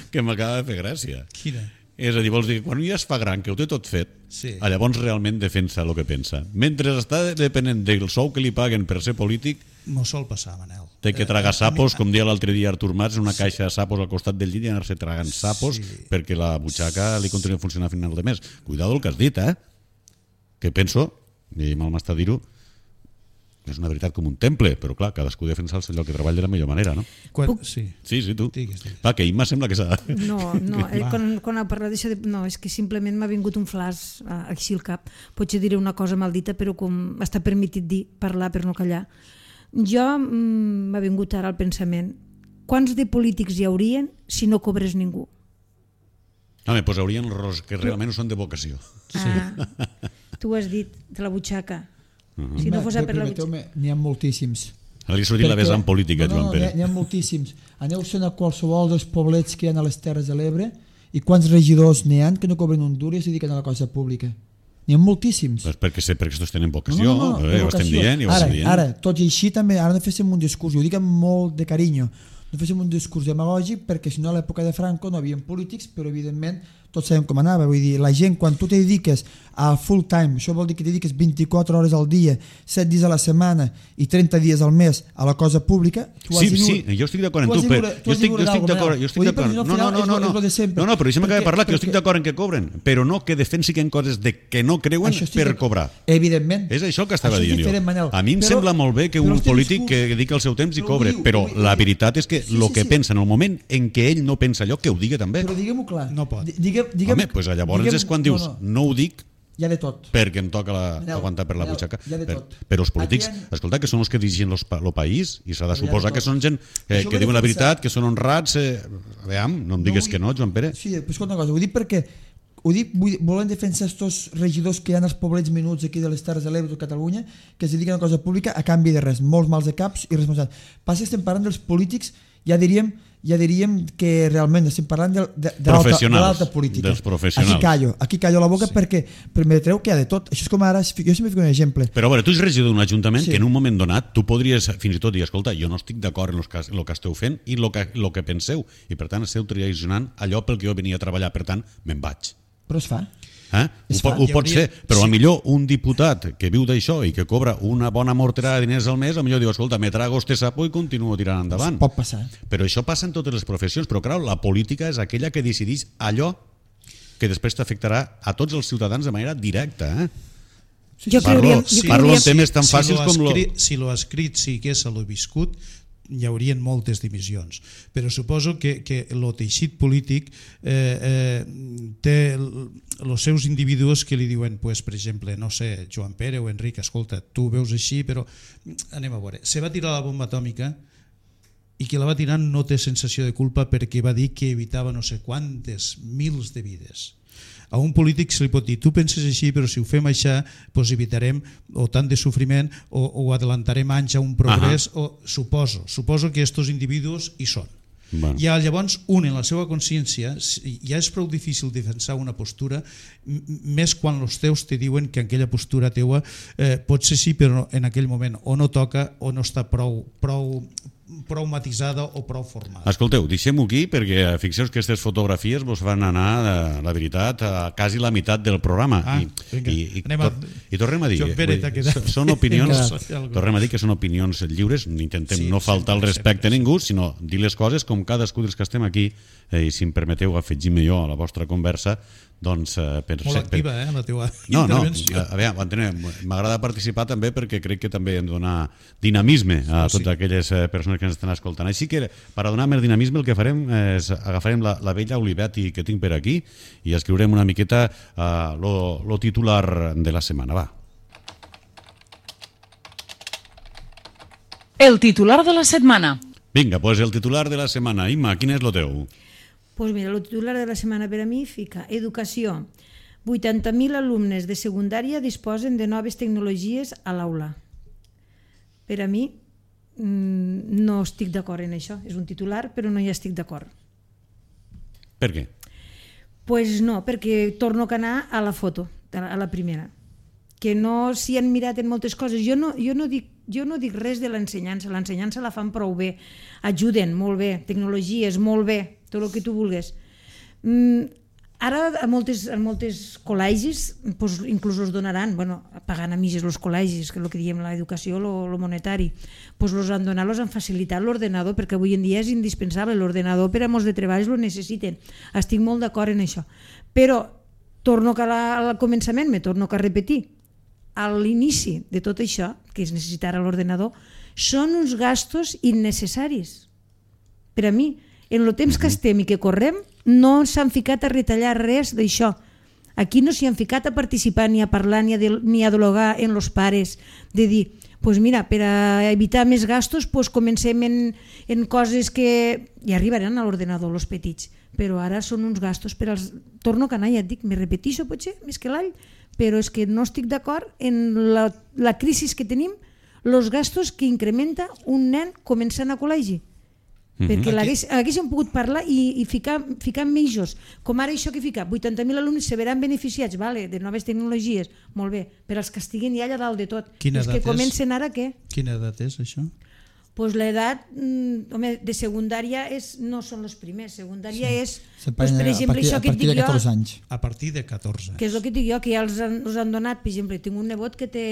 B: que m'acaba de fer gràcia.
D: Quina?
B: És a dir, vols dir que quan ja es fa gran, que ho té tot fet,
D: sí,
B: llavors realment defensa el que pensa. Mentre està depenent del sou que li paguen per ser polític,
D: no sol passar, Manel.
B: Té que tragar sapos, com dia l'altre dia Artur Mas, una caixa de sapos al costat del llit i anar-se tragant sapos sí, perquè la butxaca li continua funcionant a final de mes. Cuidado el que has dit, eh? Que penso, i mal m'està dir-ho, és una veritat com un temple, però clar, cadascú defensa el lloc que treballa de la millor manera, no?
D: Quan, sí.
B: Sí, sí, tu.
D: Digues, digues.
B: Va, que Imma sembla que s'ha...
C: No, no, eh, quan, quan ha parlat d'això, de... no, és que simplement m'ha vingut un flash eh, així al cap. Potser diré una cosa maldita, però com està permetit dir, parlar per no callar. Jo mm, m'ha vingut ara al pensament, quants de polítics hi haurien si no cobres ningú?
B: Home, doncs haurien els que realment no són de vocació.
C: Ah, tu has dit, de la butxaca.
B: Uh-huh.
C: Si no fos per la butxaca.
E: N'hi ha moltíssims.
B: Ara li sortit la vessant política,
E: no, no,
B: Joan Pere.
E: N'hi ha, ha moltíssims. Aneu-se'n a qualsevol dels poblets que hi ha a les Terres de l'Ebre i quants regidors n'hi ha que no cobren un duro i es dediquen a la cosa pública. N'hi ha moltíssims.
B: Pues perquè, perquè estos tenen vocació,
E: no, no, no,
B: eh, ho estem dient, i ho
E: ara,
B: estem dient.
E: Ara, tot i així també, ara no féssim un discurs, ho dic amb molt de carinyo, no féssim un discurs demagògic perquè si no a l'època de Franco no hi havia polítics, però evidentment tots sabem com anava, vull dir, la gent quan tu te dediques a full time, això vol dir que te dediques vint-i-quatre hores al dia, set dies a la setmana i trenta dies al mes a la cosa pública, tu has
B: sí,
E: de viure,
B: sí, jo estic d'acord amb tu, però jo estic, jo estic d'acord, jo estic d'acord. No, no, no, no, no, no, no, però deixa'm acabar de parlar, que jo estic d'acord en que cobren, però no que defensin coses de que no creuen per cobrar.
E: Evidentment.
B: És això que estava dient jo. A mi em sembla molt bé que un polític que dedica el seu temps i cobre, però la veritat és que el que pensa en el moment en què ell no pensa allò, que ho digui també.
E: Però diguem-ho clar.
D: No pot.
E: Home,
B: doncs llavors és quan dius, no ho dic,
E: Hi ha de tot.
B: Perquè em toca la,
E: Manel,
B: aguantar per la
E: Manel,
B: butxaca.
E: hi ha de
B: Per,
E: tot.
B: però els polítics,
E: Aquí hi ha-
B: escolta, que són els que dirigeixen el país i s'ha de
E: Però hi ha de
B: suposar
E: tot.
B: que són gent que,
E: Això
B: que
E: ho he
B: diuen la
E: defensat.
B: veritat, que són honrats. Eh, veam, no em digues
E: vull-
B: que no, Joan Pere.
E: Sí, però escolta una cosa, ho dic perquè ho dic, vull, volen defensar estos regidors que hi ha als poblets menuts aquí de les Terres de l'Ebre de Catalunya, que es dediquen a una cosa pública a canvi de res, molts mals de caps i responsables. Passa que estem parlant dels polítics, ja diríem ja diríem que realment estem parlant de, de, de l'alta política.
B: Dels professionals.
E: Aquí callo, aquí callo la boca sí. perquè permetreu que hi ha de tot. Això és com ara, jo sempre fico un exemple.
B: Però a veure, tu ets regidor d'un ajuntament
E: Sí.
B: que en un moment donat tu podries fins i tot dir, escolta, jo no estic d'acord en el que, en que esteu fent i el que, lo que penseu, i per tant esteu traicionant allò pel que jo venia a treballar, per tant, me'n vaig.
E: Però es fa.
B: Eh? Ho,
E: Es
B: po,
E: fa.
B: ho pot
D: hauria-
B: ser, però
D: sí.
B: a millor un diputat que viu d'això i que cobra una bona morterada de diners al mes, a millor diu, escolta, me trago este sapo i continuo tirant endavant.
E: Pot passar.
B: Però això passa en totes les professions, però clar, la política és aquella que decideix allò que després t'afectarà a tots els ciutadans de manera directa. Eh?
C: Jo
B: Parlo,
C: creuria, jo
B: sí, parlo
C: creuria,
B: en temes tan fàcils
D: lo
B: com lo...
D: escrit, si lo escrit sigués a lo viscut, hi haurien moltes dimissions, però suposo que, que el teixit polític eh, eh, té els seus individus que li diuen, pues, per exemple, no sé, Joan Pere o Enric, escolta, tu ho veus així, però anem a veure, se va tirar la bomba atòmica i qui la va tirar no té sensació de culpa perquè va dir que evitava no sé quantes mils de vides. A un polític se li pot dir, tu penses així, però si ho fem això, doncs evitarem o tant de sofriment o, o adelantarem anys a un progrés, uh -huh. o suposo, suposo que aquests individus hi són.
B: Bueno.
D: I llavors un en la seva consciència ja és prou difícil defensar una postura, més quan els teus te diuen que aquella postura teua eh, pot ser sí, però en aquell moment o no toca o no està prou, prou, prou matisada o prou formada.
B: Escolteu, deixem-ho aquí perquè fixeu que aquestes fotografies vos van anar, la veritat, a quasi la meitat del programa.
D: Ah,
B: I,
D: vinga,
B: i, i,
D: anem a-
B: tor i tornem a dir,
D: Joan Pere,
B: vull dir,
D: t'ha quedat.
B: són opinions,
D: Vinga.
B: tornem a dir que són opinions lliures, intentem
D: Sí,
B: no faltar el
D: sempre,
B: respecte
D: sempre,
B: a ningú, sinó dir les coses com cadascú dels que estem aquí, eh, i si em permeteu afegir-me jo a la vostra conversa, doncs... Eh, per,
D: Molt activa, eh, la teva
B: No, no,
D: intervenció.
B: a veure, m'agrada participar també perquè crec que també hem de donar dinamisme a
D: Oh, sí.
B: totes aquelles eh, persones que ens estan escoltant. Així que, per a donar més dinamisme, el que farem és agafarem la, la vella Olivetti que tinc per aquí i escriurem una miqueta uh, lo, lo titular de la setmana. Va.
A: El titular de la setmana.
B: Vinga, doncs el titular de la setmana. Imma, quin és el teu?
C: Pues mira, el titular de la setmana per a mi fica Educació. vuitanta mil alumnes de secundària disposen de noves tecnologies a l'aula. Per a mi mm, no estic d'acord en això. És un titular, però no hi estic d'acord.
B: Per què?
C: Pues no, perquè torno a anar a la foto, a la primera. Que no s'hi han mirat en moltes coses. Jo no, jo no dic jo no dic res de l'ensenyança, l'ensenyança la fan prou bé, ajuden molt bé, tecnologies molt bé, tot el que tu vulguis. Mm, ara a moltes, a moltes col·legis pues, inclús els donaran, bueno, pagant a mitges els col·legis, que és el que diem l'educació, el monetari, pues los han donat, los han facilitat l'ordenador, perquè avui en dia és indispensable, l'ordenador per a molts de treballs lo necessiten. Estic molt d'acord en això. Però torno que la, al començament, me torno que a repetir, a l'inici de tot això, que és necessitar l'ordenador, són uns gastos innecessaris. Per a mi, en el temps que estem i que correm, no s'han ficat a retallar res d'això. Aquí no s'hi han ficat a participar ni a parlar ni a, de, ni a dialogar en els pares, de dir, pues mira, per a evitar més gastos, pues comencem en, en coses que ja arribaran a l'ordenador, els petits, però ara són uns gastos per als... Torno a anar, ja et dic, me repetixo potser, més que l'all, però és que no estic d'acord en la, la crisi que tenim, els gastos que incrementa un nen començant a col·legi. Mm-hmm. Perquè l'hagués, haguéssim pogut parlar i, i ficar, ficar mitjos. Com ara això que fica, vuitanta mil alumnes se veran beneficiats, vale, de noves tecnologies, molt bé, per als que estiguin ja allà dalt de tot.
D: Quina
C: Els que
D: edat és?
C: comencen ara, què?
D: Quina edat és això?
C: Pues l'edat mm, home, de secundària és, no són els primers, secundària sí. és, pues, per
E: a
C: exemple,
E: partir,
C: això
E: a
C: que et
E: partir
C: dic
E: de
C: jo,
E: catorze anys.
D: A partir de catorze.
C: que és el que et dic jo, que ja els han, els han donat, per exemple, tinc un nebot que té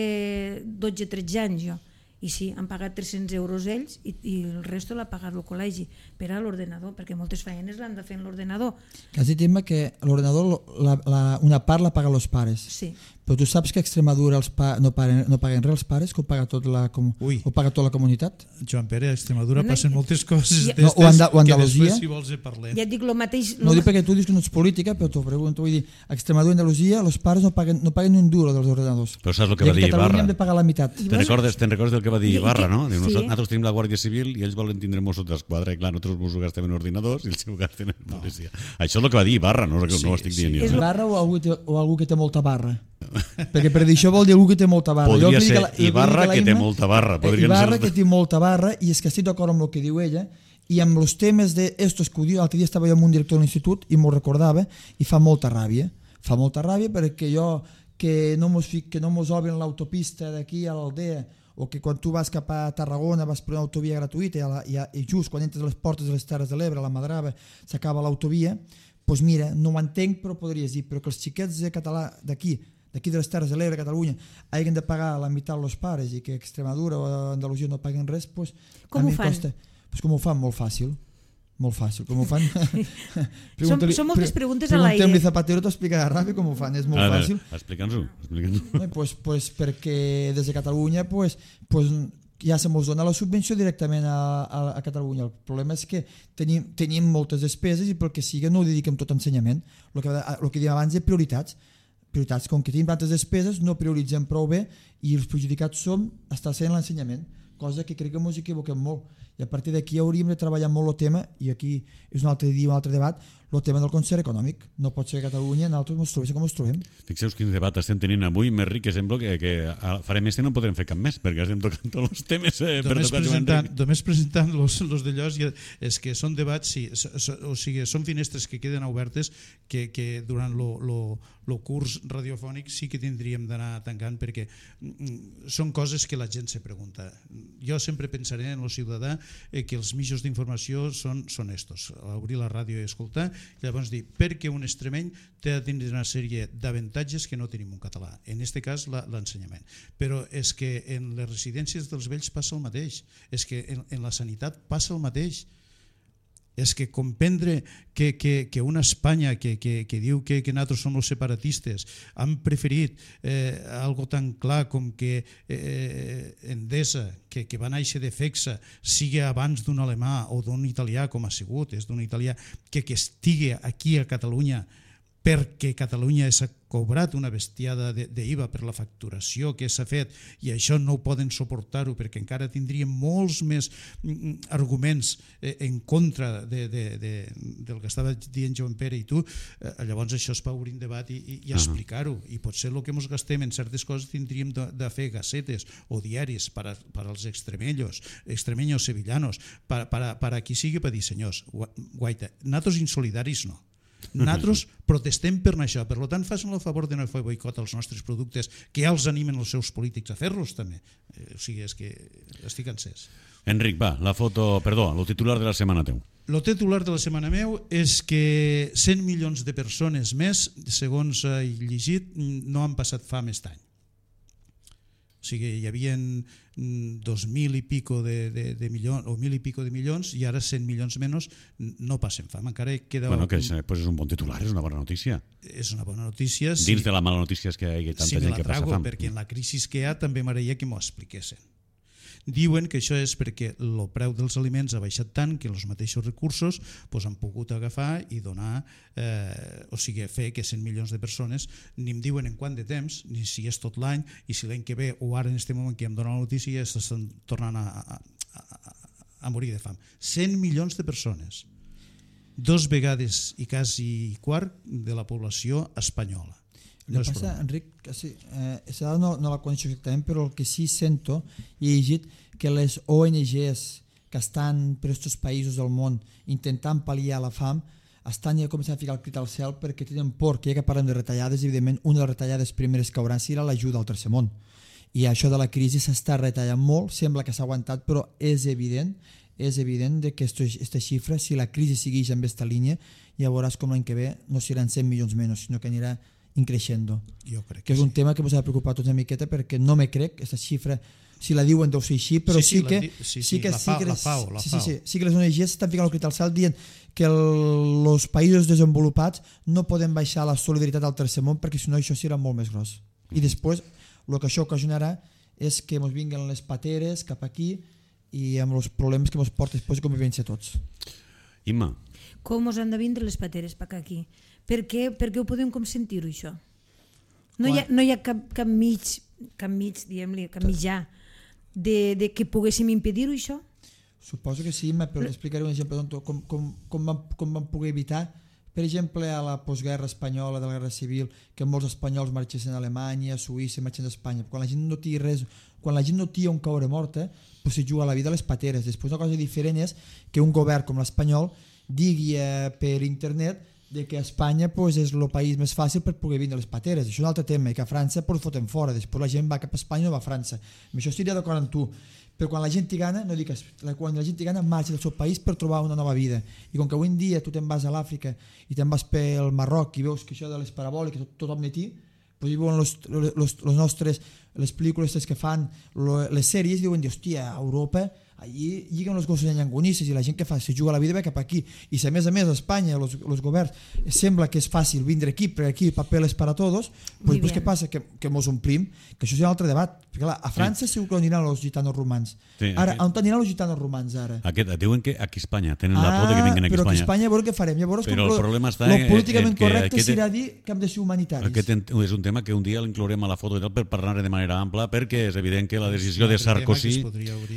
C: dotze tretze anys jo, I sí, han pagat tres-cents euros ells i, i el resto l'ha pagat el col·legi per a l'ordenador, perquè moltes feines l'han de fer en l'ordenador.
E: Que has dit, Imma, que l'ordenador la, la, una part la paguen els pares.
C: Sí.
E: Però tu saps que a Extremadura els pa, no, paguen, no paguen res els pares, que ho paga, tot la, com, ho paga tota la comunitat?
D: Joan Pere, a Extremadura
C: No,
D: passen moltes coses
C: ja,
D: d'estes
E: o Anda, o
D: que
E: Andalusia,
D: després, si vols, en parlem.
C: Ja et dic el mateix...
E: No ho dic perquè tu dius que no ets política, però t'ho pregunto. Vull dir, a Extremadura i Andalusia els pares no paguen, no paguen ni un duro dels ordenadors.
B: Però saps el que va dir
E: I a Catalunya
B: Ibarra?
E: hem de pagar la meitat.
B: Te'n recordes, te'n recordes del que va dir
C: I- i
B: Ibarra,
C: que-
B: no? Diu,
C: sí.
B: nosaltres tenim la Guàrdia Civil i ells volen tindre Mossos d'Esquadra i clar, nosaltres els Mossos gastem en ordinadors i ells ho gasten en policia. Això és el que va dir Ibarra, no, no ho estic dient
C: És
B: jo.
C: lo-
E: Barra o algú, té, o algú que té molta barra? Perquè per dir això vol dir algú que té molta barra. Jo
B: Podria
E: el que dic
B: ser
E: a la- el que dic
B: Ibarra
E: a la
B: que té
E: Imma,
B: molta barra.
E: eh,
B: Podrien
E: Ibarra
B: ser...
E: que té molta barra i és que estic d'acord amb el que diu ella i amb els temes d'estos que ho diu, l'altre dia estava jo amb un director de l'institut i m'ho recordava i fa molta ràbia. Fa molta ràbia perquè jo que no mos, fic, que no mos obren l'autopista d'aquí a l'Aldea o que quan tu vas cap a Tarragona vas per una autovia gratuïta i, a la, i, a, i just quan entres a les portes de les Terres de l'Ebre, a la Madrava, s'acaba l'autovia, doncs mira, no ho entenc però podries dir, però que els xiquets de català d'aquí, d'aquí de les Terres de l'Ebre, Catalunya, hagin de pagar la meitat als pares i que Extremadura o Andalusia no paguen res, doncs
C: Com
E: a mi
C: ho
E: em
C: fan?
E: costa. Doncs com ho fan? Molt fàcil. Molt fàcil. Com ho fan?
C: Som, són moltes preguntes a l'aire.
E: Preguntem-li a Zapatero, t'explicarà ràpid com ho fan, és molt
B: A veure,
E: fàcil.
B: explica'ns-ho. Explica'ns-ho.
E: No, pues, pues perquè des de Catalunya pues, pues, ja se mos dona la subvenció directament a, a, a Catalunya. El problema és que tenim, tenim moltes despeses i pel que sigui no ho dediquem tot a ensenyament. El que, el que diem abans de prioritats. Prioritats, com que tenim tantes despeses, no prioritzem prou bé i els perjudicats som estar sent l'ensenyament, cosa que crec que ens equivoquem molt. I a partir d'aquí hauríem de treballar molt el tema, i aquí és un altre dia, un altre debat, el tema del concert econòmic. No pot ser que a Catalunya nosaltres ens trobem com ens trobem.
B: Fixeu quin debat estem tenint avui, més ric, que sembla que, que farem este i no podrem fer cap més, perquè estem tocant tots els temes eh, per
D: Només
B: tocar
D: presentant, només presentant los, los de Llos, és que són debats, sí, so, so, o sigui, són finestres que queden obertes que, que durant lo, lo, lo curs radiofònic sí que tindríem d'anar tancant perquè mm, són coses que la gent se pregunta. Jo sempre pensaré en el ciutadà eh, que els mitjans d'informació són, són estos, obrir la ràdio i escoltar, i llavors dir, perquè un extremeny té de tindre una sèrie d'avantatges que no tenim un català, en aquest cas l'ensenyament. Però és que en les residències dels vells passa el mateix, és que en, en la sanitat passa el mateix, és que comprendre que, que, que una Espanya que, que, que diu que, que nosaltres som els separatistes han preferit eh, algo tan clar com que eh, Endesa, que, que va néixer de Fexa, sigui abans d'un alemà o d'un italià com ha sigut, és d'un italià que, que estigui aquí a Catalunya perquè Catalunya s'ha cobrat una bestiada d'I V A per la facturació que s'ha fet i això no ho poden suportar-ho perquè encara tindrien molts més arguments en contra de, de, de, del que estava dient Joan Pere i tu, llavors això es va obrir un debat i, i, i explicar-ho, i potser el que ens gastem en certes coses tindríem de, de fer gacetes o diaris per, a, per als extremeños, extremeños sevillanos, per, per, a, per a qui sigui per dir, senyors, guaita, nosaltres insolidaris no. Nosaltres protestem per això, per tant facin el favor de no fer boicot als nostres productes que ja els animen els seus polítics a fer-los també, o sigui, és que estic encès.
B: Enric, va, la foto, perdó, el titular de la setmana teu.
D: El titular de la setmana meu és que cent milions de persones més, segons he llegit, no han passat fam aquest any. O sigui, hi havia dos mil i pico de, de, de milions, o mil i pico de milions, i ara cent milions menys no passen fam. Encara queda...
B: Bueno, que és, pues és un bon titular, és una bona notícia.
D: És una bona notícia.
B: Dins sí, de la mala notícia és que hi ha tanta
D: sí,
B: gent que passa fam.
D: Perquè en la crisi que hi ha també m'agradaria que m'ho expliquessin. Diuen que això és perquè el preu dels aliments ha baixat tant que els mateixos recursos pues, han pogut agafar i donar, eh, o sigui, fer que cent milions de persones, ni em diuen en quant de temps, ni si és tot l'any, i si l'any que ve o ara en aquest moment que em dona la notícia s'estan tornant a, a, a, a morir de fam. cent milions de persones, dos vegades i quasi quart de la població espanyola.
E: El que passa, Enric, que sí, eh, no, no la coneixo exactament, però el que sí sento i he llegit que les O N Ges que estan per aquests països del món intentant pal·liar la fam estan ja començant a ficar el crit al cel perquè tenen por que ja que parlem de retallades, evidentment una de les retallades primeres que hauran serà l'ajuda al tercer món. I això de la crisi s'està retallant molt, sembla que s'ha aguantat, però és evident és evident que aquesta xifra, si la crisi segueix en aquesta línia, ja veuràs com l'any que ve no seran cent milions menys, sinó que anirà increixendo.
D: Jo crec
E: que
D: que
E: és un
D: sí.
E: tema que ens ha de preocupar tots una miqueta perquè no me crec, aquesta xifra si la diuen deu ser així, però
D: Sí, sí,
E: sí,
D: la
E: que
D: di- sí,
E: sí
D: sí,
E: que
D: la
E: sí
D: FAO,
E: que
D: la
E: les-
D: FAO, la
E: sí, sí,
D: FAO.
E: sí, sí que les O N Ges estan ficant el crit al cel dient que els països desenvolupats no poden baixar la solidaritat al tercer món perquè si no això serà molt més gros. I després el que això ocasionarà és que ens vinguen les pateres cap aquí i amb els problemes que ens porta després de convivència a tots.
B: Imma,
C: Com us han de vindre les pateres per aquí? Per què, per què ho podem com sentir-ho, això? No hi ha, no hi ha cap, cap mig, cap mig, diguem-li, cap mitjà de, de que poguéssim impedir-ho, això?
E: Suposo que sí, però explicaré un exemple doncs, com, com, com, vam, com vam poder evitar, per exemple, a la postguerra espanyola, de la guerra civil, que molts espanyols marxessin a Alemanya, a Suïssa, marxen d'Espanya. Quan la gent no té res, quan la gent no té on caure morta, pues se juga la vida a les pateres. Després una cosa diferent és que un govern com l'espanyol digui eh, per internet de que Espanya pues, és el país més fàcil per poder vindre a les pateres. Això és un altre tema, i que a França pues, foten fora. Després la gent va cap a Espanya o va a França. Amb això estaria d'acord amb tu. Però quan la gent hi gana, no dic, quan la gent hi gana marxa del seu país per trobar una nova vida. I com que avui en dia tu te'n vas a l'Àfrica i te'n vas pel Marroc i veus que això de les parabòliques tot, tothom de ti, pues diuen los, los, los nostres, les pel·lícules que fan, lo, les sèries, diuen, hòstia, a Europa allí lliguen els gossos en llangonisses i la gent que fa, se juga la vida ve cap aquí. I si a més a més a Espanya, els, els governs, sembla que és fàcil vindre aquí, perquè aquí papeles para todos, pues, pues què passa? Que, que mos omplim, que això és un altre debat. Perquè clar, a França sí. segur que aniran els gitanos romans. Sí, ara, aquest... on aniran els gitanos romans ara?
B: Aquest, diuen que aquí a Espanya tenen ah, la por de que vinguin aquí a
E: Espanya. Però que
B: a
E: Espanya, a veure què farem. Llavors,
B: però
E: com
B: el problema està
E: lo
B: en,
E: políticament
B: en que
E: correcte
B: aquest,
E: serà dir que hem de ser humanitaris.
B: Aquest és un tema que un dia l'inclourem a la foto i tal per parlar de manera ampla, perquè és evident que la decisió de Sarkozy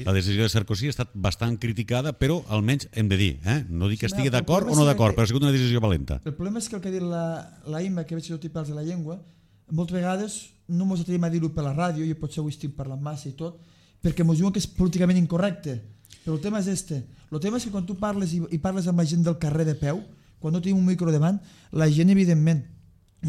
B: la decisió de Sarkozy ha estat bastant criticada, però almenys hem de dir, eh? no dic que estigui d'acord o no d'acord, però ha sigut una decisió valenta.
E: El problema és que el que ha dit la, la Imma, que veig que tot i parles de la llengua, moltes vegades no ens atrevim a dir-ho per la ràdio, jo potser ho estic parlant massa i tot, perquè ens diuen que és políticament incorrecte. Però el tema és este. El tema és que quan tu parles i, i parles amb la gent del carrer de peu, quan no tenim un micro davant, la gent, evidentment,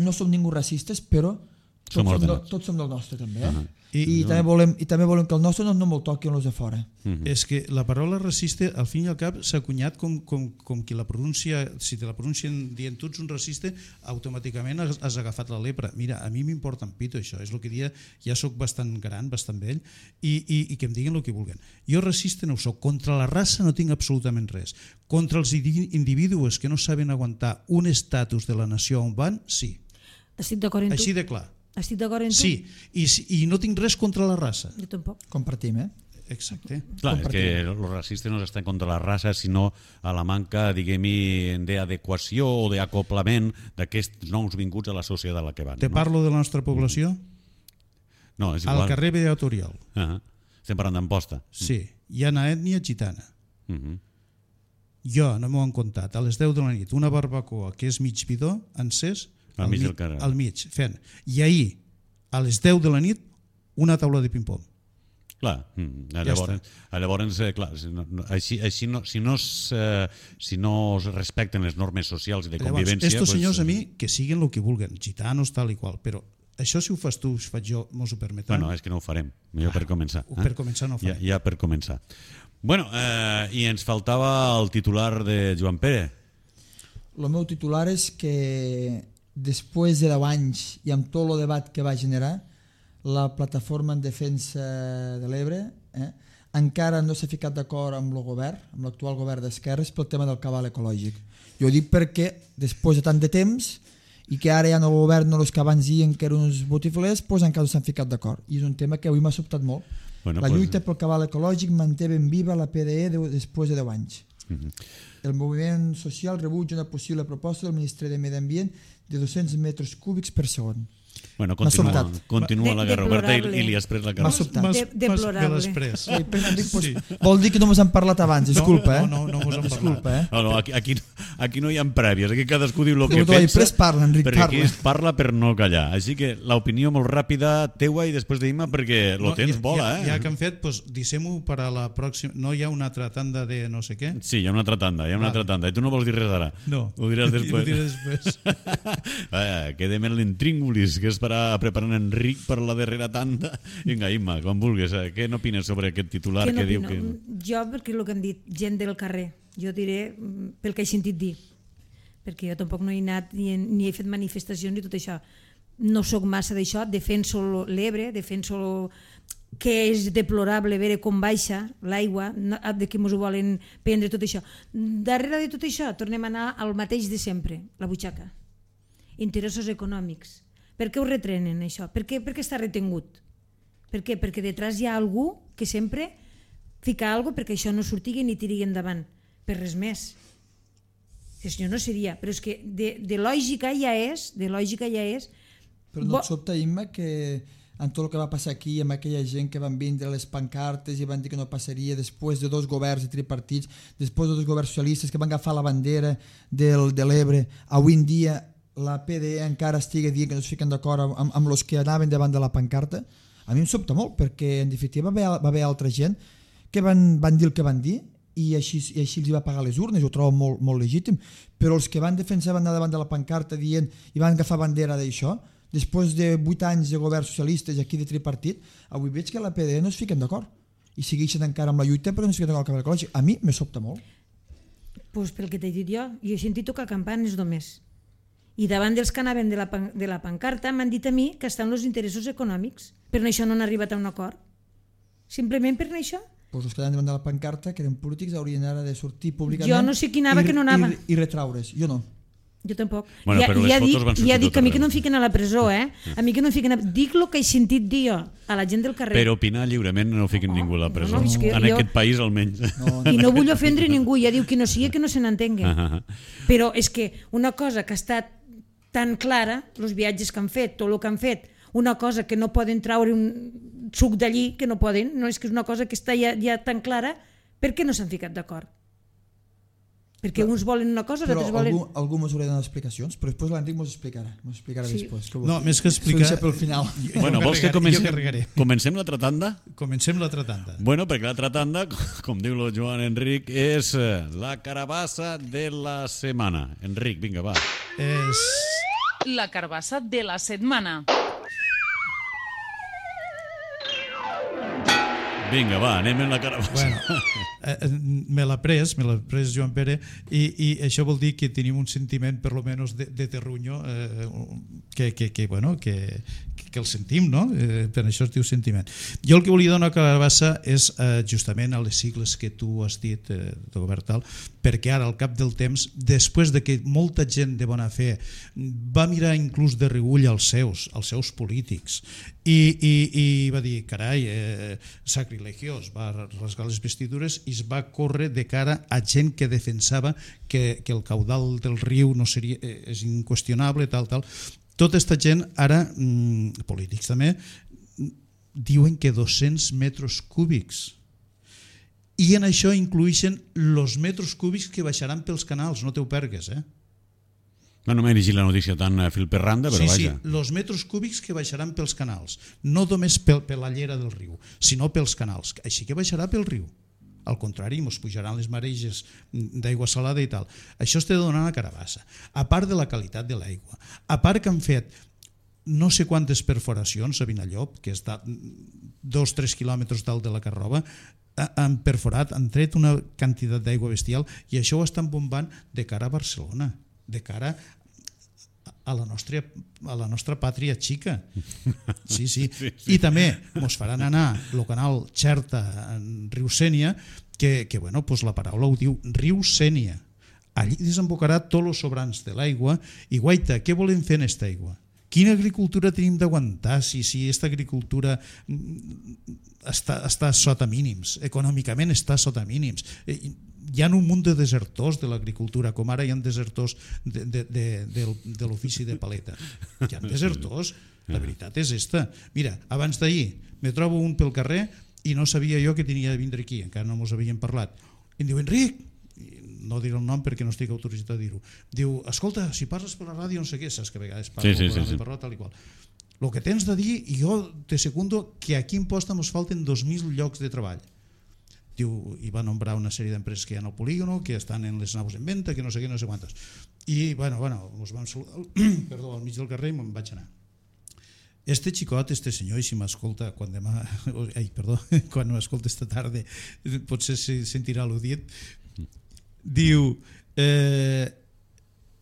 E: no som ningú racistes, però tots som, som, do, tots som del nostre, també. Eh? Uh -huh. I, I, no. també volem, I també volem que el nostre no, no me'l toqui els de fora.
D: Uh -huh. És que la paraula racista, al fin i al cap, s'ha acunyat com, com, com qui la pronuncia, si te la pronuncien dient tu ets un racista, automàticament has, has agafat la lepra. Mira, a mi m'importa un pito això, és el que dia, ja sóc bastant gran, bastant vell, i, i, i que em diguin el que vulguin. Jo racista no ho soc, contra la raça no tinc absolutament res. Contra els individus que no saben aguantar un estatus de la nació on van, sí.
C: Estic d'acord amb tu.
D: Així de clar.
C: Estic d'acord amb tu?
D: Sí, i, i no tinc res contra la raça.
C: Jo tampoc.
E: Compartim, eh?
D: Exacte.
B: Clar, és que els racistes no estan contra la raça, sinó a la manca, diguem-hi, d'adequació o d'acoplament d'aquests nous vinguts a la societat a la que van.
D: Te
B: no?
D: parlo de la nostra població?
B: No, és igual.
D: Al carrer Beat Oriol.
B: Uh -huh. Estem parlant d'Amposta.
D: Sí, hi ha una ètnia gitana.
B: Uh -huh.
D: Jo, no m'ho han contat, a les deu de la nit, una barbacoa que és mig bidó, encès,
B: al, al mig del carrer.
D: Al mig, fent. I ahir, a les deu de la nit, una taula de ping-pong.
B: Clar, mm, llavors, ja llavors eh, clar, si no, així, així no, si, no es, eh, si no es respecten les normes socials i de
D: llavors,
B: convivència...
D: Estos
B: pues,
D: senyors a mi, que siguin el que vulguen, gitanos, tal i qual, però això si ho fas tu, si ho faig jo, mos ho permetran?
B: Bueno, és que no ho farem, millor per començar.
D: Eh? Per començar no ho farem.
B: Ja, ja per començar. Bueno, eh, i ens faltava el titular de Joan Pere.
E: El meu titular és que després de deu anys i amb tot el debat que va generar, la plataforma en defensa de l'Ebre eh, encara no s'ha ficat d'acord amb el govern, amb l'actual govern d'esquerres, pel tema del cabal ecològic. Jo ho dic perquè després de tant de temps i que ara ja no el govern, no els que abans diuen que eren uns botiflers, doncs encara no s'han ficat d'acord. I és un tema que avui m'ha sobtat molt. Bueno, la lluita pues... pel cabal ecològic manté ben viva la P D E de, després de deu anys. Uh-huh. El moviment social rebutja una possible proposta del Ministeri de Medi Ambient de dos-cents metres cúbics per segon.
B: Bueno, continua, continua de, la guerra oberta i, i li has pres la cara.
E: M'ha sobtat.
C: De, deplorable.
E: Sí, sí. Vol dir que no mos han parlat abans, disculpa, eh?
D: No, no, no mos han
E: disculpa,
D: parlat.
E: Eh?
B: No, no, aquí, aquí, aquí no hi ha prèvies, aquí cadascú diu el que
E: tu
B: pensa,
E: parla, Enric,
B: perquè
E: parla.
B: aquí es parla per no callar. Així que l'opinió molt ràpida teua i després d'Imma perquè lo no, tens
D: ja,
B: bola,
D: ja,
B: eh?
D: Ja que han fet, doncs, deixem-ho per a la pròxima... No hi ha una altra tanda de no sé què?
B: Sí, hi ha una altra tanda, hi ha una
D: vale.
B: altra tanda. I tu no vols dir res ara?
D: No.
B: Ho diràs després.
D: Ho diré després.
B: eh, quedem en l'intríngulis, que és per a preparar en Enric per la darrera tanda. Vinga, Imma, quan vulguis, eh? Què n'opines sobre aquest titular que,
C: que
B: diu
C: no,
B: que...
C: Jo, perquè el que han dit, gent del carrer, jo diré pel que he sentit dir, perquè jo tampoc no he anat ni, ni he fet manifestacions ni tot això. No sóc massa d'això, defenso l'Ebre, defenso que és deplorable veure com baixa l'aigua, de que ens ho volen prendre tot això. Darrere de tot això tornem a anar al mateix de sempre, la butxaca. Interessos econòmics. Per què ho retrenen això? Per què, per què està retengut? Per què? Perquè detrás hi ha algú que sempre fica alguna cosa perquè això no sortigui ni tiri endavant, per res més. Si no seria, però és que de, de lògica ja és, de lògica ja és...
E: Però no et sobta, Imma, que amb tot el que va passar aquí, amb aquella gent que van vindre les pancartes i van dir que no passaria després de dos governs de tripartits, després de dos governs socialistes que van agafar la bandera del, de l'Ebre, avui en dia la P D E encara estigui dient que no es fiquen d'acord amb, amb els que anaven davant de la pancarta, a mi em sobta molt, perquè en definitiva va haver, va haver altra gent que van, van dir el que van dir i així, i així els va pagar les urnes, ho trobo molt, molt legítim, però els que van defensar van anar davant de la pancarta dient i van agafar bandera d'això, després de vuit anys de governs socialistes aquí de tripartit, avui veig que la P D E no es fiquen d'acord i segueixen encara amb la lluita però no es fiquen d'acord amb el canvi ecològic. A mi me sobta molt.
C: Pues pel que t'he dit jo, jo he sentit tocar campanes només. I davant dels que anaven de la, de la pancarta m'han dit a mi que estan els interessos econòmics. Per això no han arribat a un acord. Simplement per això.
E: Pues els que anaven davant de la pancarta, que eren polítics, haurien ara de sortir públicament...
C: Jo no sé qui anava,
E: i,
C: que no anava.
E: I, i retraure's, jo no.
C: Jo tampoc.
B: Bueno,
C: ja,
B: però les
C: ja
B: fotos
C: dic,
B: van sortir
C: ja dic
B: tot
C: que a mi
B: arreu.
C: que no em fiquen a la presó, eh? A mi que no em fiquen a... Dic el que he sentit dir jo a la gent del carrer.
B: Per opinar lliurement no fiquen ningú a la presó.
C: no, és que
B: en
C: jo-
B: aquest país almenys.
E: no,
C: I no vull ofendre ningú, ja diu que no sigui que no se n'entengui.
B: Ah,
C: Però és que una cosa que ha estat tan clara, els viatges que han fet, tot el que han fet, una cosa que no poden traure un suc d'allí, que no poden, no és que és una cosa que està ja, ja tan clara, per què no s'han ficat d'acord? Perquè uns volen una cosa, els
E: però
C: altres volen...
E: algú, algú mos haurà de donar explicacions, però després l'Enric mos explicarà, mos explicarà
C: Sí.
E: després. Que
D: No, més que explicar...
E: Això pel final.
D: Jo
B: Bueno, vols que
D: carregaré,
B: comencem,
D: jo carregaré.
B: comencem l'altra tanda?
D: Comencem l'altra tanda.
B: Bueno, perquè l'altra tanda, com diu el Joan Enric, és eh, la carabassa de la setmana. Enric, vinga, va.
D: És...
A: La carbassa de la setmana.
B: Vinga, va, anem en la carabassa.
D: Bueno, eh, me l'ha pres, me l'ha pres Joan Pere, i, i això vol dir que tenim un sentiment, per lo menos, de, de terrunyo, eh, que, que, que, bueno, que, que el sentim, no? Eh, per això es diu sentiment. Jo el que volia donar a carabassa és eh, justament a les sigles que tu has dit, eh, de govern tal, perquè ara, al cap del temps, després de que molta gent de bona fe va mirar inclús de reüll als seus, als seus polítics, i, i, i va dir, carai, eh, sacrilegiós, va rasgar les vestidures i es va córrer de cara a gent que defensava que, que el caudal del riu no seria, eh, és inqüestionable, tal, tal. Tota aquesta gent, ara, mm, polítics també, diuen que dos-cents metres cúbics. I en això incluïxen els metres cúbics que baixaran pels canals, no t'ho pergues, eh?
B: No, no m'he llegit la notícia tan eh, fil per randa, però
D: sí,
B: vaja.
D: sí, els metres cúbics que baixaran pels canals, no només pel, per la llera del riu, sinó pels canals, així que baixarà pel riu. Al contrari, ens pujaran les mareges d'aigua salada i tal. Això es té de donar a carabassa. A part de la qualitat de l'aigua, a part que han fet no sé quantes perforacions a Vinallop, que està dos o tres quilòmetres dalt de la Carrova, han perforat, han tret una quantitat d'aigua bestial i això ho estan bombant de cara a Barcelona, de cara a la nostra, a la nostra pàtria xica. Sí, sí.
B: Sí, sí.
D: I també ens faran anar el canal Xerta en riu Sénia, que, que bueno, pues la paraula ho diu, riu Sénia. Allí desembocarà tots els sobrants de l'aigua i guaita, què volem fer en aquesta aigua? Quina agricultura tenim d'aguantar si, si aquesta agricultura està, està sota mínims, econòmicament està sota mínims? Hi ha un munt de desertors de l'agricultura, com ara hi ha desertors de, de, de, de, de l'ofici de paleta. Hi ha desertors, la veritat és esta. Mira, abans d'ahir me trobo un pel carrer i no sabia jo que tenia de vindre aquí, encara no mos havíem parlat. I em diu, Enric, no diré el nom perquè no estic autoritzat a dir-ho, diu, escolta, si parles per la ràdio no sé què, saps que a vegades parlo
B: sí, sí, sí, sí.
D: per tal i qual. El que tens de dir, i jo te secundo que aquí en Posta ens falten dos mil llocs de treball. Diu, i va nombrar una sèrie d'empreses que hi ha al polígono, que estan en les naus en venda, que no sé què, no sé quantes. I, bueno, bueno, ens vam saludar, perdó, al mig del carrer i me'n vaig anar. Este xicot, este senyor, i si m'escolta quan demà, ai, perdó, quan m'escolta esta tarda, potser se sentirà al·ludit, diu, eh,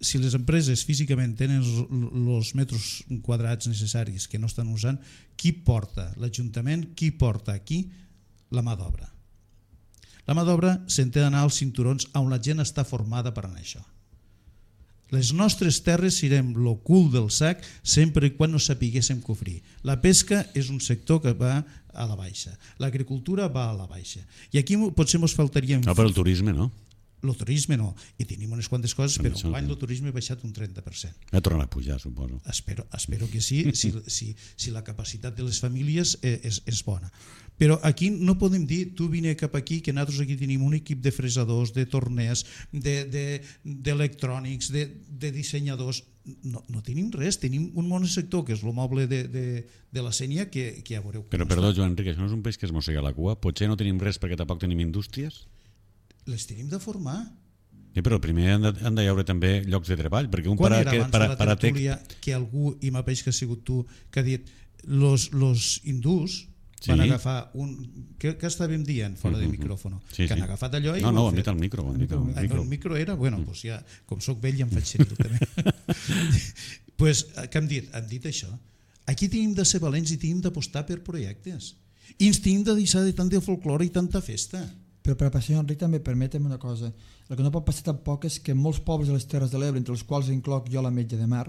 D: si les empreses físicament tenen els metres quadrats necessaris que no estan usant, qui porta? L'Ajuntament, qui porta aquí? La mà d'obra. La mà d'obra se'n té d'anar als cinturons on la gent està formada per anar això. Les nostres terres serem el cul del sac sempre i quan no sapiguéssim cofrir. La pesca és un sector que va a la baixa. L'agricultura va a la baixa. I aquí potser ens faltaria...
B: No, però el turisme no.
D: El turisme no. I tenim unes quantes coses, però l'any el turisme ha baixat un trenta per cent.
B: Ha tornat a pujar, suposo.
D: Espero, espero que sí, si, si, si la capacitat de les famílies és, és bona. Però aquí no podem dir, tu vine cap aquí, que nosaltres aquí tenim un equip de fresadors, de torners, d'electrònics, de, de, de, de dissenyadors. No, no tenim res, tenim un monosector, que és el moble de, de, de la Sénia, que, que ja veureu.
B: Però perdó, Joan Enric, això no és un peix que es mossega la cua? Potser no tenim res perquè tampoc tenim indústries?
D: Les tenim de formar.
B: Sí, però primer han de, han de haure també llocs de treball, perquè un
D: Quan
B: para,
D: era
B: que,
D: abans
B: para,
D: de la tertúlia
B: paratec...
D: que algú, i m'apeix que ha sigut tu, que ha dit los, los hindús
B: Sí.
D: van agafar un... Què, què estàvem dient fora de micròfono?
B: Sí,
D: que han
B: sí.
D: agafat allò i...
B: No, no, ho
D: han
B: han
D: fet.
B: dit al micro. Ho han dit al
D: Ah,
B: micro.
D: no, el micro era... Bueno, mm. pues ja, com soc vell ja em faig sentir també. Pues, què hem dit? Hem dit això. Aquí tenim de ser valents i tenim d'apostar per projectes. I ens tenim de deixar de tant de folklore i tanta festa.
E: Però per a senyor Enric també permetem una cosa. El que no pot passar tampoc és que molts pobles de les Terres de l'Ebre, entre els quals incloc jo la Metge de Mar,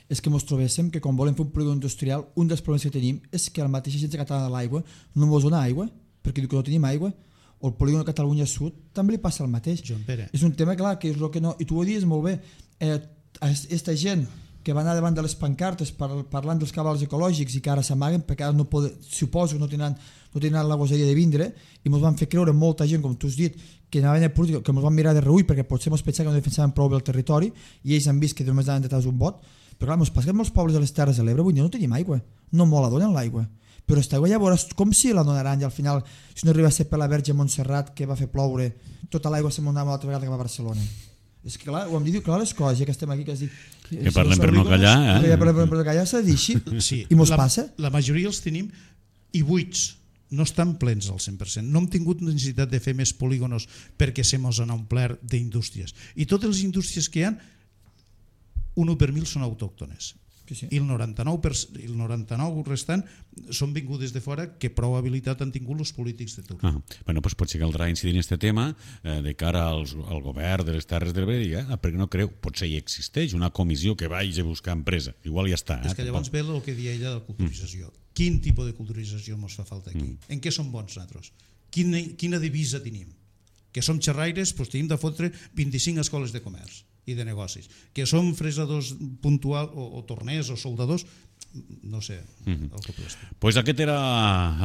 E: és que ens trobéssim que quan volem fer un polígon industrial, un dels problemes que tenim és que la mateixa Agència Catalana de l'Aigua no ens dona aigua, perquè diu que no tenim aigua, o el polígon de Catalunya Sud també li passa el mateix.
D: Joan Pere.
E: És un tema clar, que és el que no... I tu ho dius molt bé, eh, aquesta gent que va anar davant de les pancartes par, parlant dels cabals ecològics i que ara s'amaguen perquè ara no poden, suposo que no tenen, no tenen la gosadia de vindre i ens van fer creure molta gent, com tu has dit, que anaven a política, que ens van mirar de reull perquè potser ens pensaven que no defensaven prou bé el territori i ells han vist que només anaven detrás d'un vot. Però clar, ens passa que molts pobles de les Terres de l'Ebre avui no tenim aigua, no molt la donen l'aigua, però aquesta aigua llavors com si la donaran i al final si no arriba a ser per la Verge Montserrat que va fer ploure, tota l'aigua se m'onava l'altra vegada que va a Barcelona. És que clar, ho hem dit clar les coses, ja que estem aquí que, dit,
B: que parlem per no callar, eh?
E: Que parlem per no callar, s'ha de dir així,
D: sí,
E: i mos
D: la,
E: passa.
D: La majoria els tenim i buits, no estan plens al cent per cent. No hem tingut necessitat de fer més polígonos perquè se mos han omplert d'indústries. I totes les indústries que hi ha, un u per mil són autòctones.
E: Sí, sí.
D: I el noranta-nou per cent, el noranta-nou restant són vingudes de fora que prou habilitat han tingut els polítics de turn.
B: Ah, bueno, pues potser caldrà incidir en aquest tema eh, de cara als, al govern de les Terres de l'Ebre i eh, perquè no creu, potser hi existeix una comissió que vagi a buscar empresa, igual ja està. Eh,
D: És que llavors ve el que deia ella de la culturització. Mm. Quin tipus de culturització ens fa falta aquí? Mm. En què som bons nosaltres? Quina, quina divisa tenim? Que som xerraires, doncs tenim de fotre vint-i-cinc escoles de comerç i de negocis. Que som fresadors puntual o, o torners o soldadors, no sé.
B: Mm-hmm. Doncs pues aquest era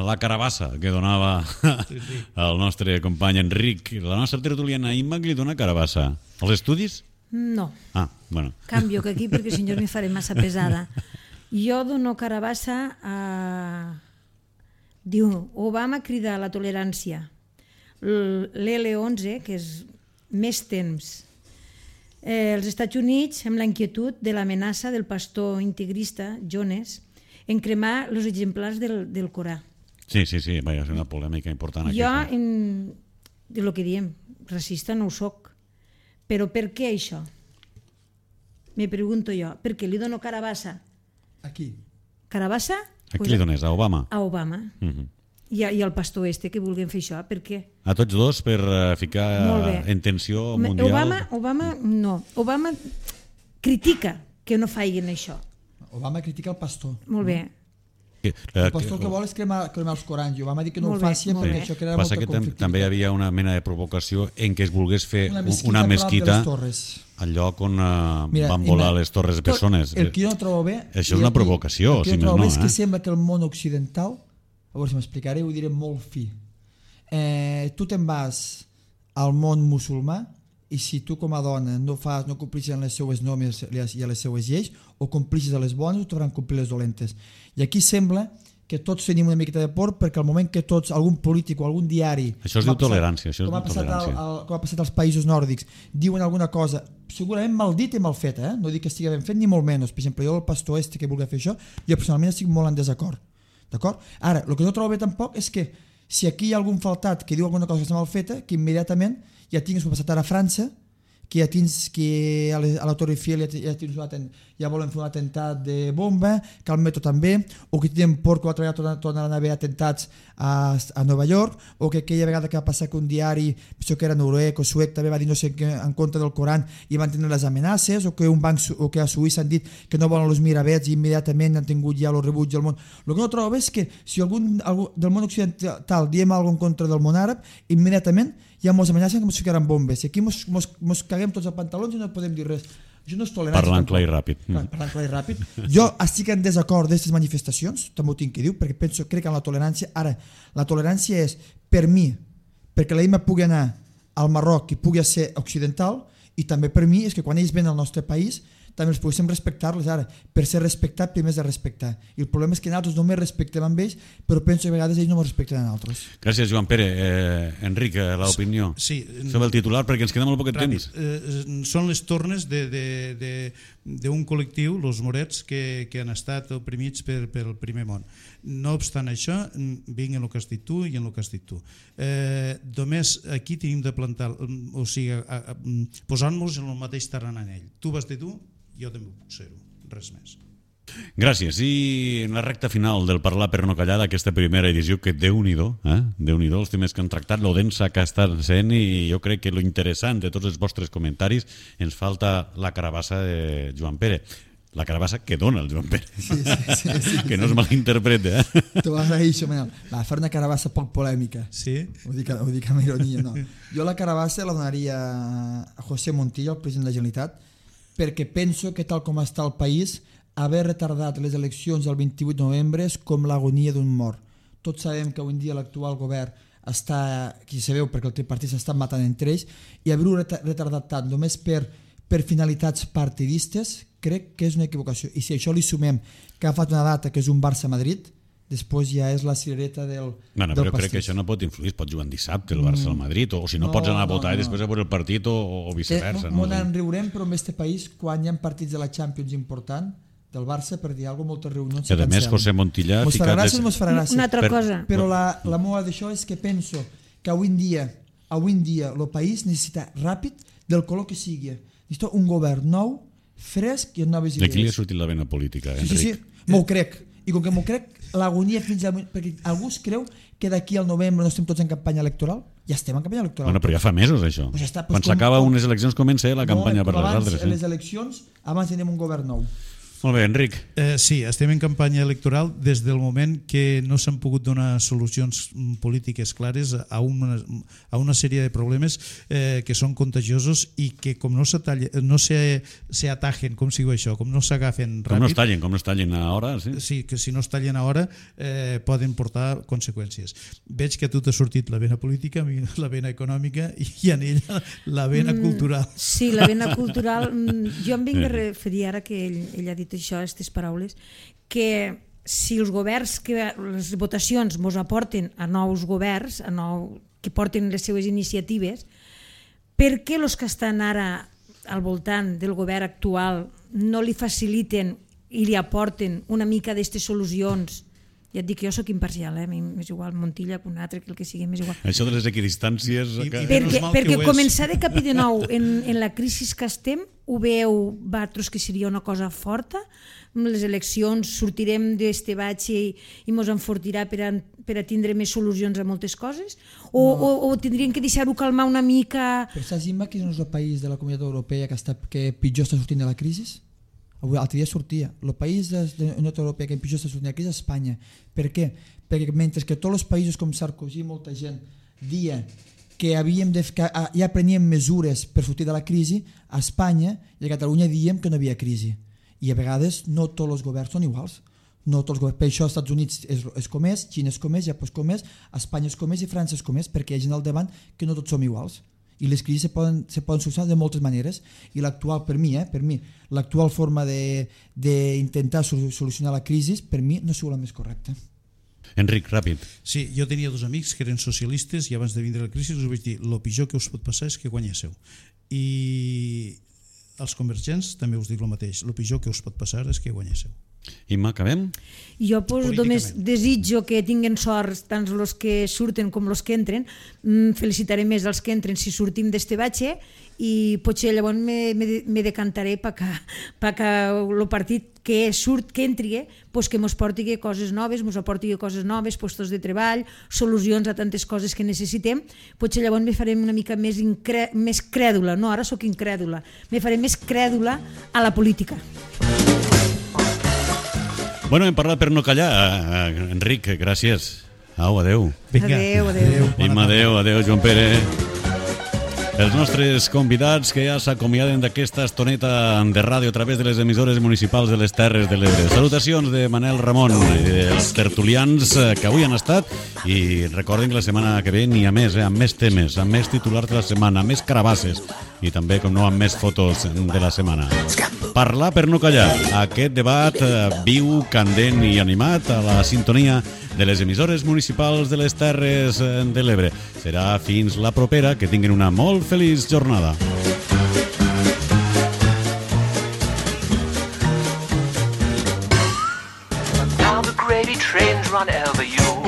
B: la carabassa que donava el nostre company Enric. La nostra tertuliana Imma que li dona carabassa. Els estudis?
C: No.
B: Ah, bueno.
C: Canvio que aquí perquè si no me faré massa pesada. Jo dono carabassa a... Diu, Obama crida a la tolerància. L'L onze, que és més temps. Eh, els Estats Units, amb la inquietud de l'amenaça del pastor integrista Jones en cremar els exemplars del, del Corà.
B: Sí, sí, sí, va ser una polèmica important aquí.
C: Jo, en, de lo que diem, racista no ho soc, però per què això? Me pregunto jo, per què li dono carabassa?
E: Aquí.
C: Carabassa?
B: A qui li dones? A Obama?
C: A Obama.
B: Uh-huh.
C: I, I al pastor este que vulguin fer això, per què?
B: A tots dos per uh, ficar en tensió mundial?
C: Obama, Obama no. Obama critica que no facin això.
E: Obama critica el pastor.
C: Molt bé.
B: Que,
E: el pastor que vol és cremar, cremar els Corans i Obama ha dit que no
C: molt
E: ho faci perquè
C: bé.
E: això crea
B: Passa
E: molta
B: que
E: conflictivitat.
B: també hi havia una mena de provocació en què es volgués fer
E: una mesquita,
B: una mesquita
E: al
B: lloc on uh,
E: Mira,
B: van volar
E: Ima,
B: les torres bessones.
E: El que jo no trobo bé...
B: Això és una provocació,
E: el que
B: si
E: jo
B: més
E: trobo
B: no.
E: bé és que
B: Eh?
E: sembla que el món occidental, a veure si m'explicaré, ho diré molt fi. Eh, tu te'n vas al món musulmà i si tu com a dona no fas, no complixes les seues normes i les seues lleis, o complixes a les bones o t'hauran complir les dolentes. I aquí sembla que tots tenim una miqueta de por perquè al moment que tots, algun polític o algun diari...
B: Això es diu tolerància. Això
E: com, ha passat
B: tolerància.
E: al, al, com ha passat als països nòrdics, diuen alguna cosa segurament mal dit i mal feta, eh? No dic que estigui ben fet ni molt menys. Per exemple, jo el pastor este que vulgui fer això, jo personalment estic molt en desacord. D'acord? Ara, el que no trobo bé tampoc és que si aquí hi ha algun faltat que diu alguna cosa que està mal feta, que immediatament ja tinguis com ha passat ara a França, que, a, tins, que a, a la Torre Eiffel ja, ja, ja volen fer un atemptat de bomba, que al metro també, o que tenen por que l'altra vegada tornaran a haver atemptats a, a Nova York, o que aquella vegada que va passar que un diari, penso que era noruec o suec, també va dir no sé què en contra del Coran i van tenir les amenaces, o que un banc o que a Suïssa han dit que no volen els miravets i immediatament han tingut ja el rebuig del món. El que no trobo és que si algun, algú del món occidental diem alguna cosa en contra del món àrab, immediatament hi ha molts amenaces que ens ficaran bombes i aquí mos, mos, mos caguem tots els pantalons i no podem dir res. Això no és tolerància.
B: Parlant clar i ràpid.
E: Clar, parlant clar i ràpid. Jo estic en desacord d'aquestes manifestacions, també ho tinc que dir, perquè penso, crec en la tolerància. Ara, la tolerància és per mi, perquè la Ima pugui anar al Marroc i pugui ser occidental, i també per mi és que quan ells venen al nostre país també els poguéssim respectar-los. Ara, per ser respectat primer és de respectar, i el problema és que nosaltres només respectem amb ells, però penso que a vegades ells no ens respecten a nosaltres.
B: Gràcies, Joan Pere. eh, Enric, l'opinió
D: sí,
B: sobre el titular, perquè ens queda molt poc
D: ràpid.
B: temps.
D: Eh, són les tornes d'un col·lectiu, els morets, que, que han estat oprimits per, per el primer món. No obstant això, vinc en el que has dit tu i en el que has dit tu. Eh, només aquí tenim de plantar, o sigui, posar-nos en el mateix terreny en ell. Tu vas dir tu, jo també puc ser-ho, res més.
B: Gràcies. I en la recta final del Parlar per no callar d'aquesta primera edició, que Déu-n'hi-do, eh? Déu-n'hi-do els temes que han tractat, lo densa que està sent, i jo crec que lo interessant de tots els vostres comentaris, ens falta la carabassa de Joan Pere. La carabassa que dona el Joan Pere.
E: Sí, sí, sí, sí,
B: que no es malinterprete. Eh?
E: T'ho agraeixo, Manel. Va, fer una carabassa poc polèmica.
D: Sí?
E: Ho dic, ho dic amb ironia, no. Jo la carabassa la donaria a José Montilla, el president de la Generalitat, perquè penso que tal com està el país, haver retardat les eleccions el vint-i-vuit de novembre és com l'agonia d'un mort. Tots sabem que avui en dia l'actual govern està, aquí se veu perquè el tripartit s'està matant entre ells, i haver-ho retardat tant només per, per finalitats partidistes crec que és una equivocació. I si això li sumem que ha fet una data que és un Barça-Madrid, després ja és la cirereta del,
B: bueno,
E: del
B: però
E: pastís.
B: crec que això no pot influir, es pot jugar en dissabte el Barça al Madrid, o, o si no, no pots anar a votar no, no. i després a veure el partit, o, o viceversa.
E: Molt
B: no?
E: en riurem, però en aquest país, quan hi ha partits de la Champions important del Barça, per dir alguna cosa, moltes reunions
B: i a més José Montilla
E: mos farà gràcia, mos farà gràcia.
C: Una altra
B: per,
C: cosa.
E: Però la, la meva d'això és que penso que avui en dia avui en dia el país necessita ràpid del color que sigui. Necessita un govern nou, fresc i amb noves idees.
B: D'aquí li ha sortit la vena política, Enric.
E: Sí, sí, sí. M'ho crec. I com que m'ho crec, l'agonia fins a... Perquè algú es creu que d'aquí al novembre no estem tots en campanya electoral? Ja estem en campanya electoral.
B: Bueno, però ja fa mesos, això.
E: Pues ja està, pues
B: quan s'acaba unes eleccions comença la campanya
E: no,
B: per les
E: abans,
B: altres.
E: Eh? Les eleccions, abans tenim un govern nou.
B: Molt bé, Enric.
D: Eh, sí, estem en campanya electoral des del moment que no s'han pogut donar solucions polítiques clares a una, a una sèrie de problemes eh, que són contagiosos i que com no se, talla, no se, se atajen, com si diu això, com no s'agafen ràpid...
B: Com no es tallen, com no es tallen a hora, sí.
D: Sí, que si no es tallen a hora eh, poden portar conseqüències. Veig que a tu t'ha sortit la vena política, la vena econòmica i en ella la vena mm, cultural.
C: Sí, la vena cultural. Jo em vinc a referir ara que ell, ell ha dit això, aquestes paraules, que si els governs, que les votacions mos aporten a nous governs, a nou, que porten les seues iniciatives, per què els que estan ara al voltant del govern actual no li faciliten i li aporten una mica d'aquestes solucions? Ja et dic, jo soc imparcial, eh? A mi m'és igual Montilla que un altre, que el que sigui, m'és igual.
B: Això de les equidistàncies...
D: I,
B: que...
D: i
C: perquè perquè
D: que
C: començar de capí de nou en, en la crisi que estem, ho veu vosaltres que seria una cosa forta? Amb les eleccions sortirem d'este batxe i, i mos enfortirà per a, per a tindre més solucions a moltes coses? O, no. o, o tindríem que deixar-ho calmar una mica?
E: Però saps, Imma, que no és el país de la Comunitat Europea que, està, que pitjor està sortint de la crisi? Avui, l'altre dia sortia, el país de la Unió Europea que pitjor està sortint de la crisi és Espanya. Per què? Perquè mentre que tots els països com Sarkozy, molta gent, dia que, havíem de, que ja preníem mesures per sortir de la crisi, a Espanya i a Catalunya diem que no hi havia crisi. I a vegades no tots els governs són iguals. No tots els governs. Per això als Estats Units és, és com és, Xina és com és, Japó és com és, Espanya és com és i França és com és, perquè hi ha gent al davant que no tots som iguals. I les crisis se poden, se poden solucionar de moltes maneres, i l'actual, per mi, eh, per mi l'actual forma d'intentar solucionar la crisi, per mi no és la més correcta.
B: Enric, ràpid.
D: Sí, jo tenia dos amics que eren socialistes i abans de vindre la crisi us vaig dir el pitjor que us pot passar és que guanyéssiu. I els convergents també us dic el mateix, el pitjor que us pot passar és que guanyéssiu.
B: Imma, acabem?
C: Jo pues, només desitjo que tinguen sort tant els que surten com els que entren. Mm, felicitaré més els que entren si sortim d'este batxe i potser llavors me, me, me decantaré perquè pa que el partit que surt, que entri, pues que mos porti coses noves, mos aporti coses noves, postos de treball, solucions a tantes coses que necessitem. Potser llavors me farem una mica més, incre... més crèdula, no, ara sóc incrèdula, me faré més crèdula a la política.
B: Bueno, hem parlat per no callar. Enric, gràcies. Au, adeu.
C: Vinga. Adeu, adeu.
B: Imma, adeu, adeu, Joan Pere. Els nostres convidats que ja s'acomiaden d'aquesta estoneta de ràdio a través de les emissores municipals de les Terres de l'Ebre. Salutacions de Manel Ramon i dels tertulians que avui han estat i recorden que la setmana que ve n'hi ha més, eh, amb més temes, amb més titulars de la setmana, amb més carabasses i també, com no, amb més fotos de la setmana. Parlar per no callar. Aquest debat eh, viu, candent i animat a la sintonia de les emissores municipals de les Terres de l'Ebre. Serà fins la propera. Que tinguin una molt feliç jornada.
F: Now the gravy trains run over you.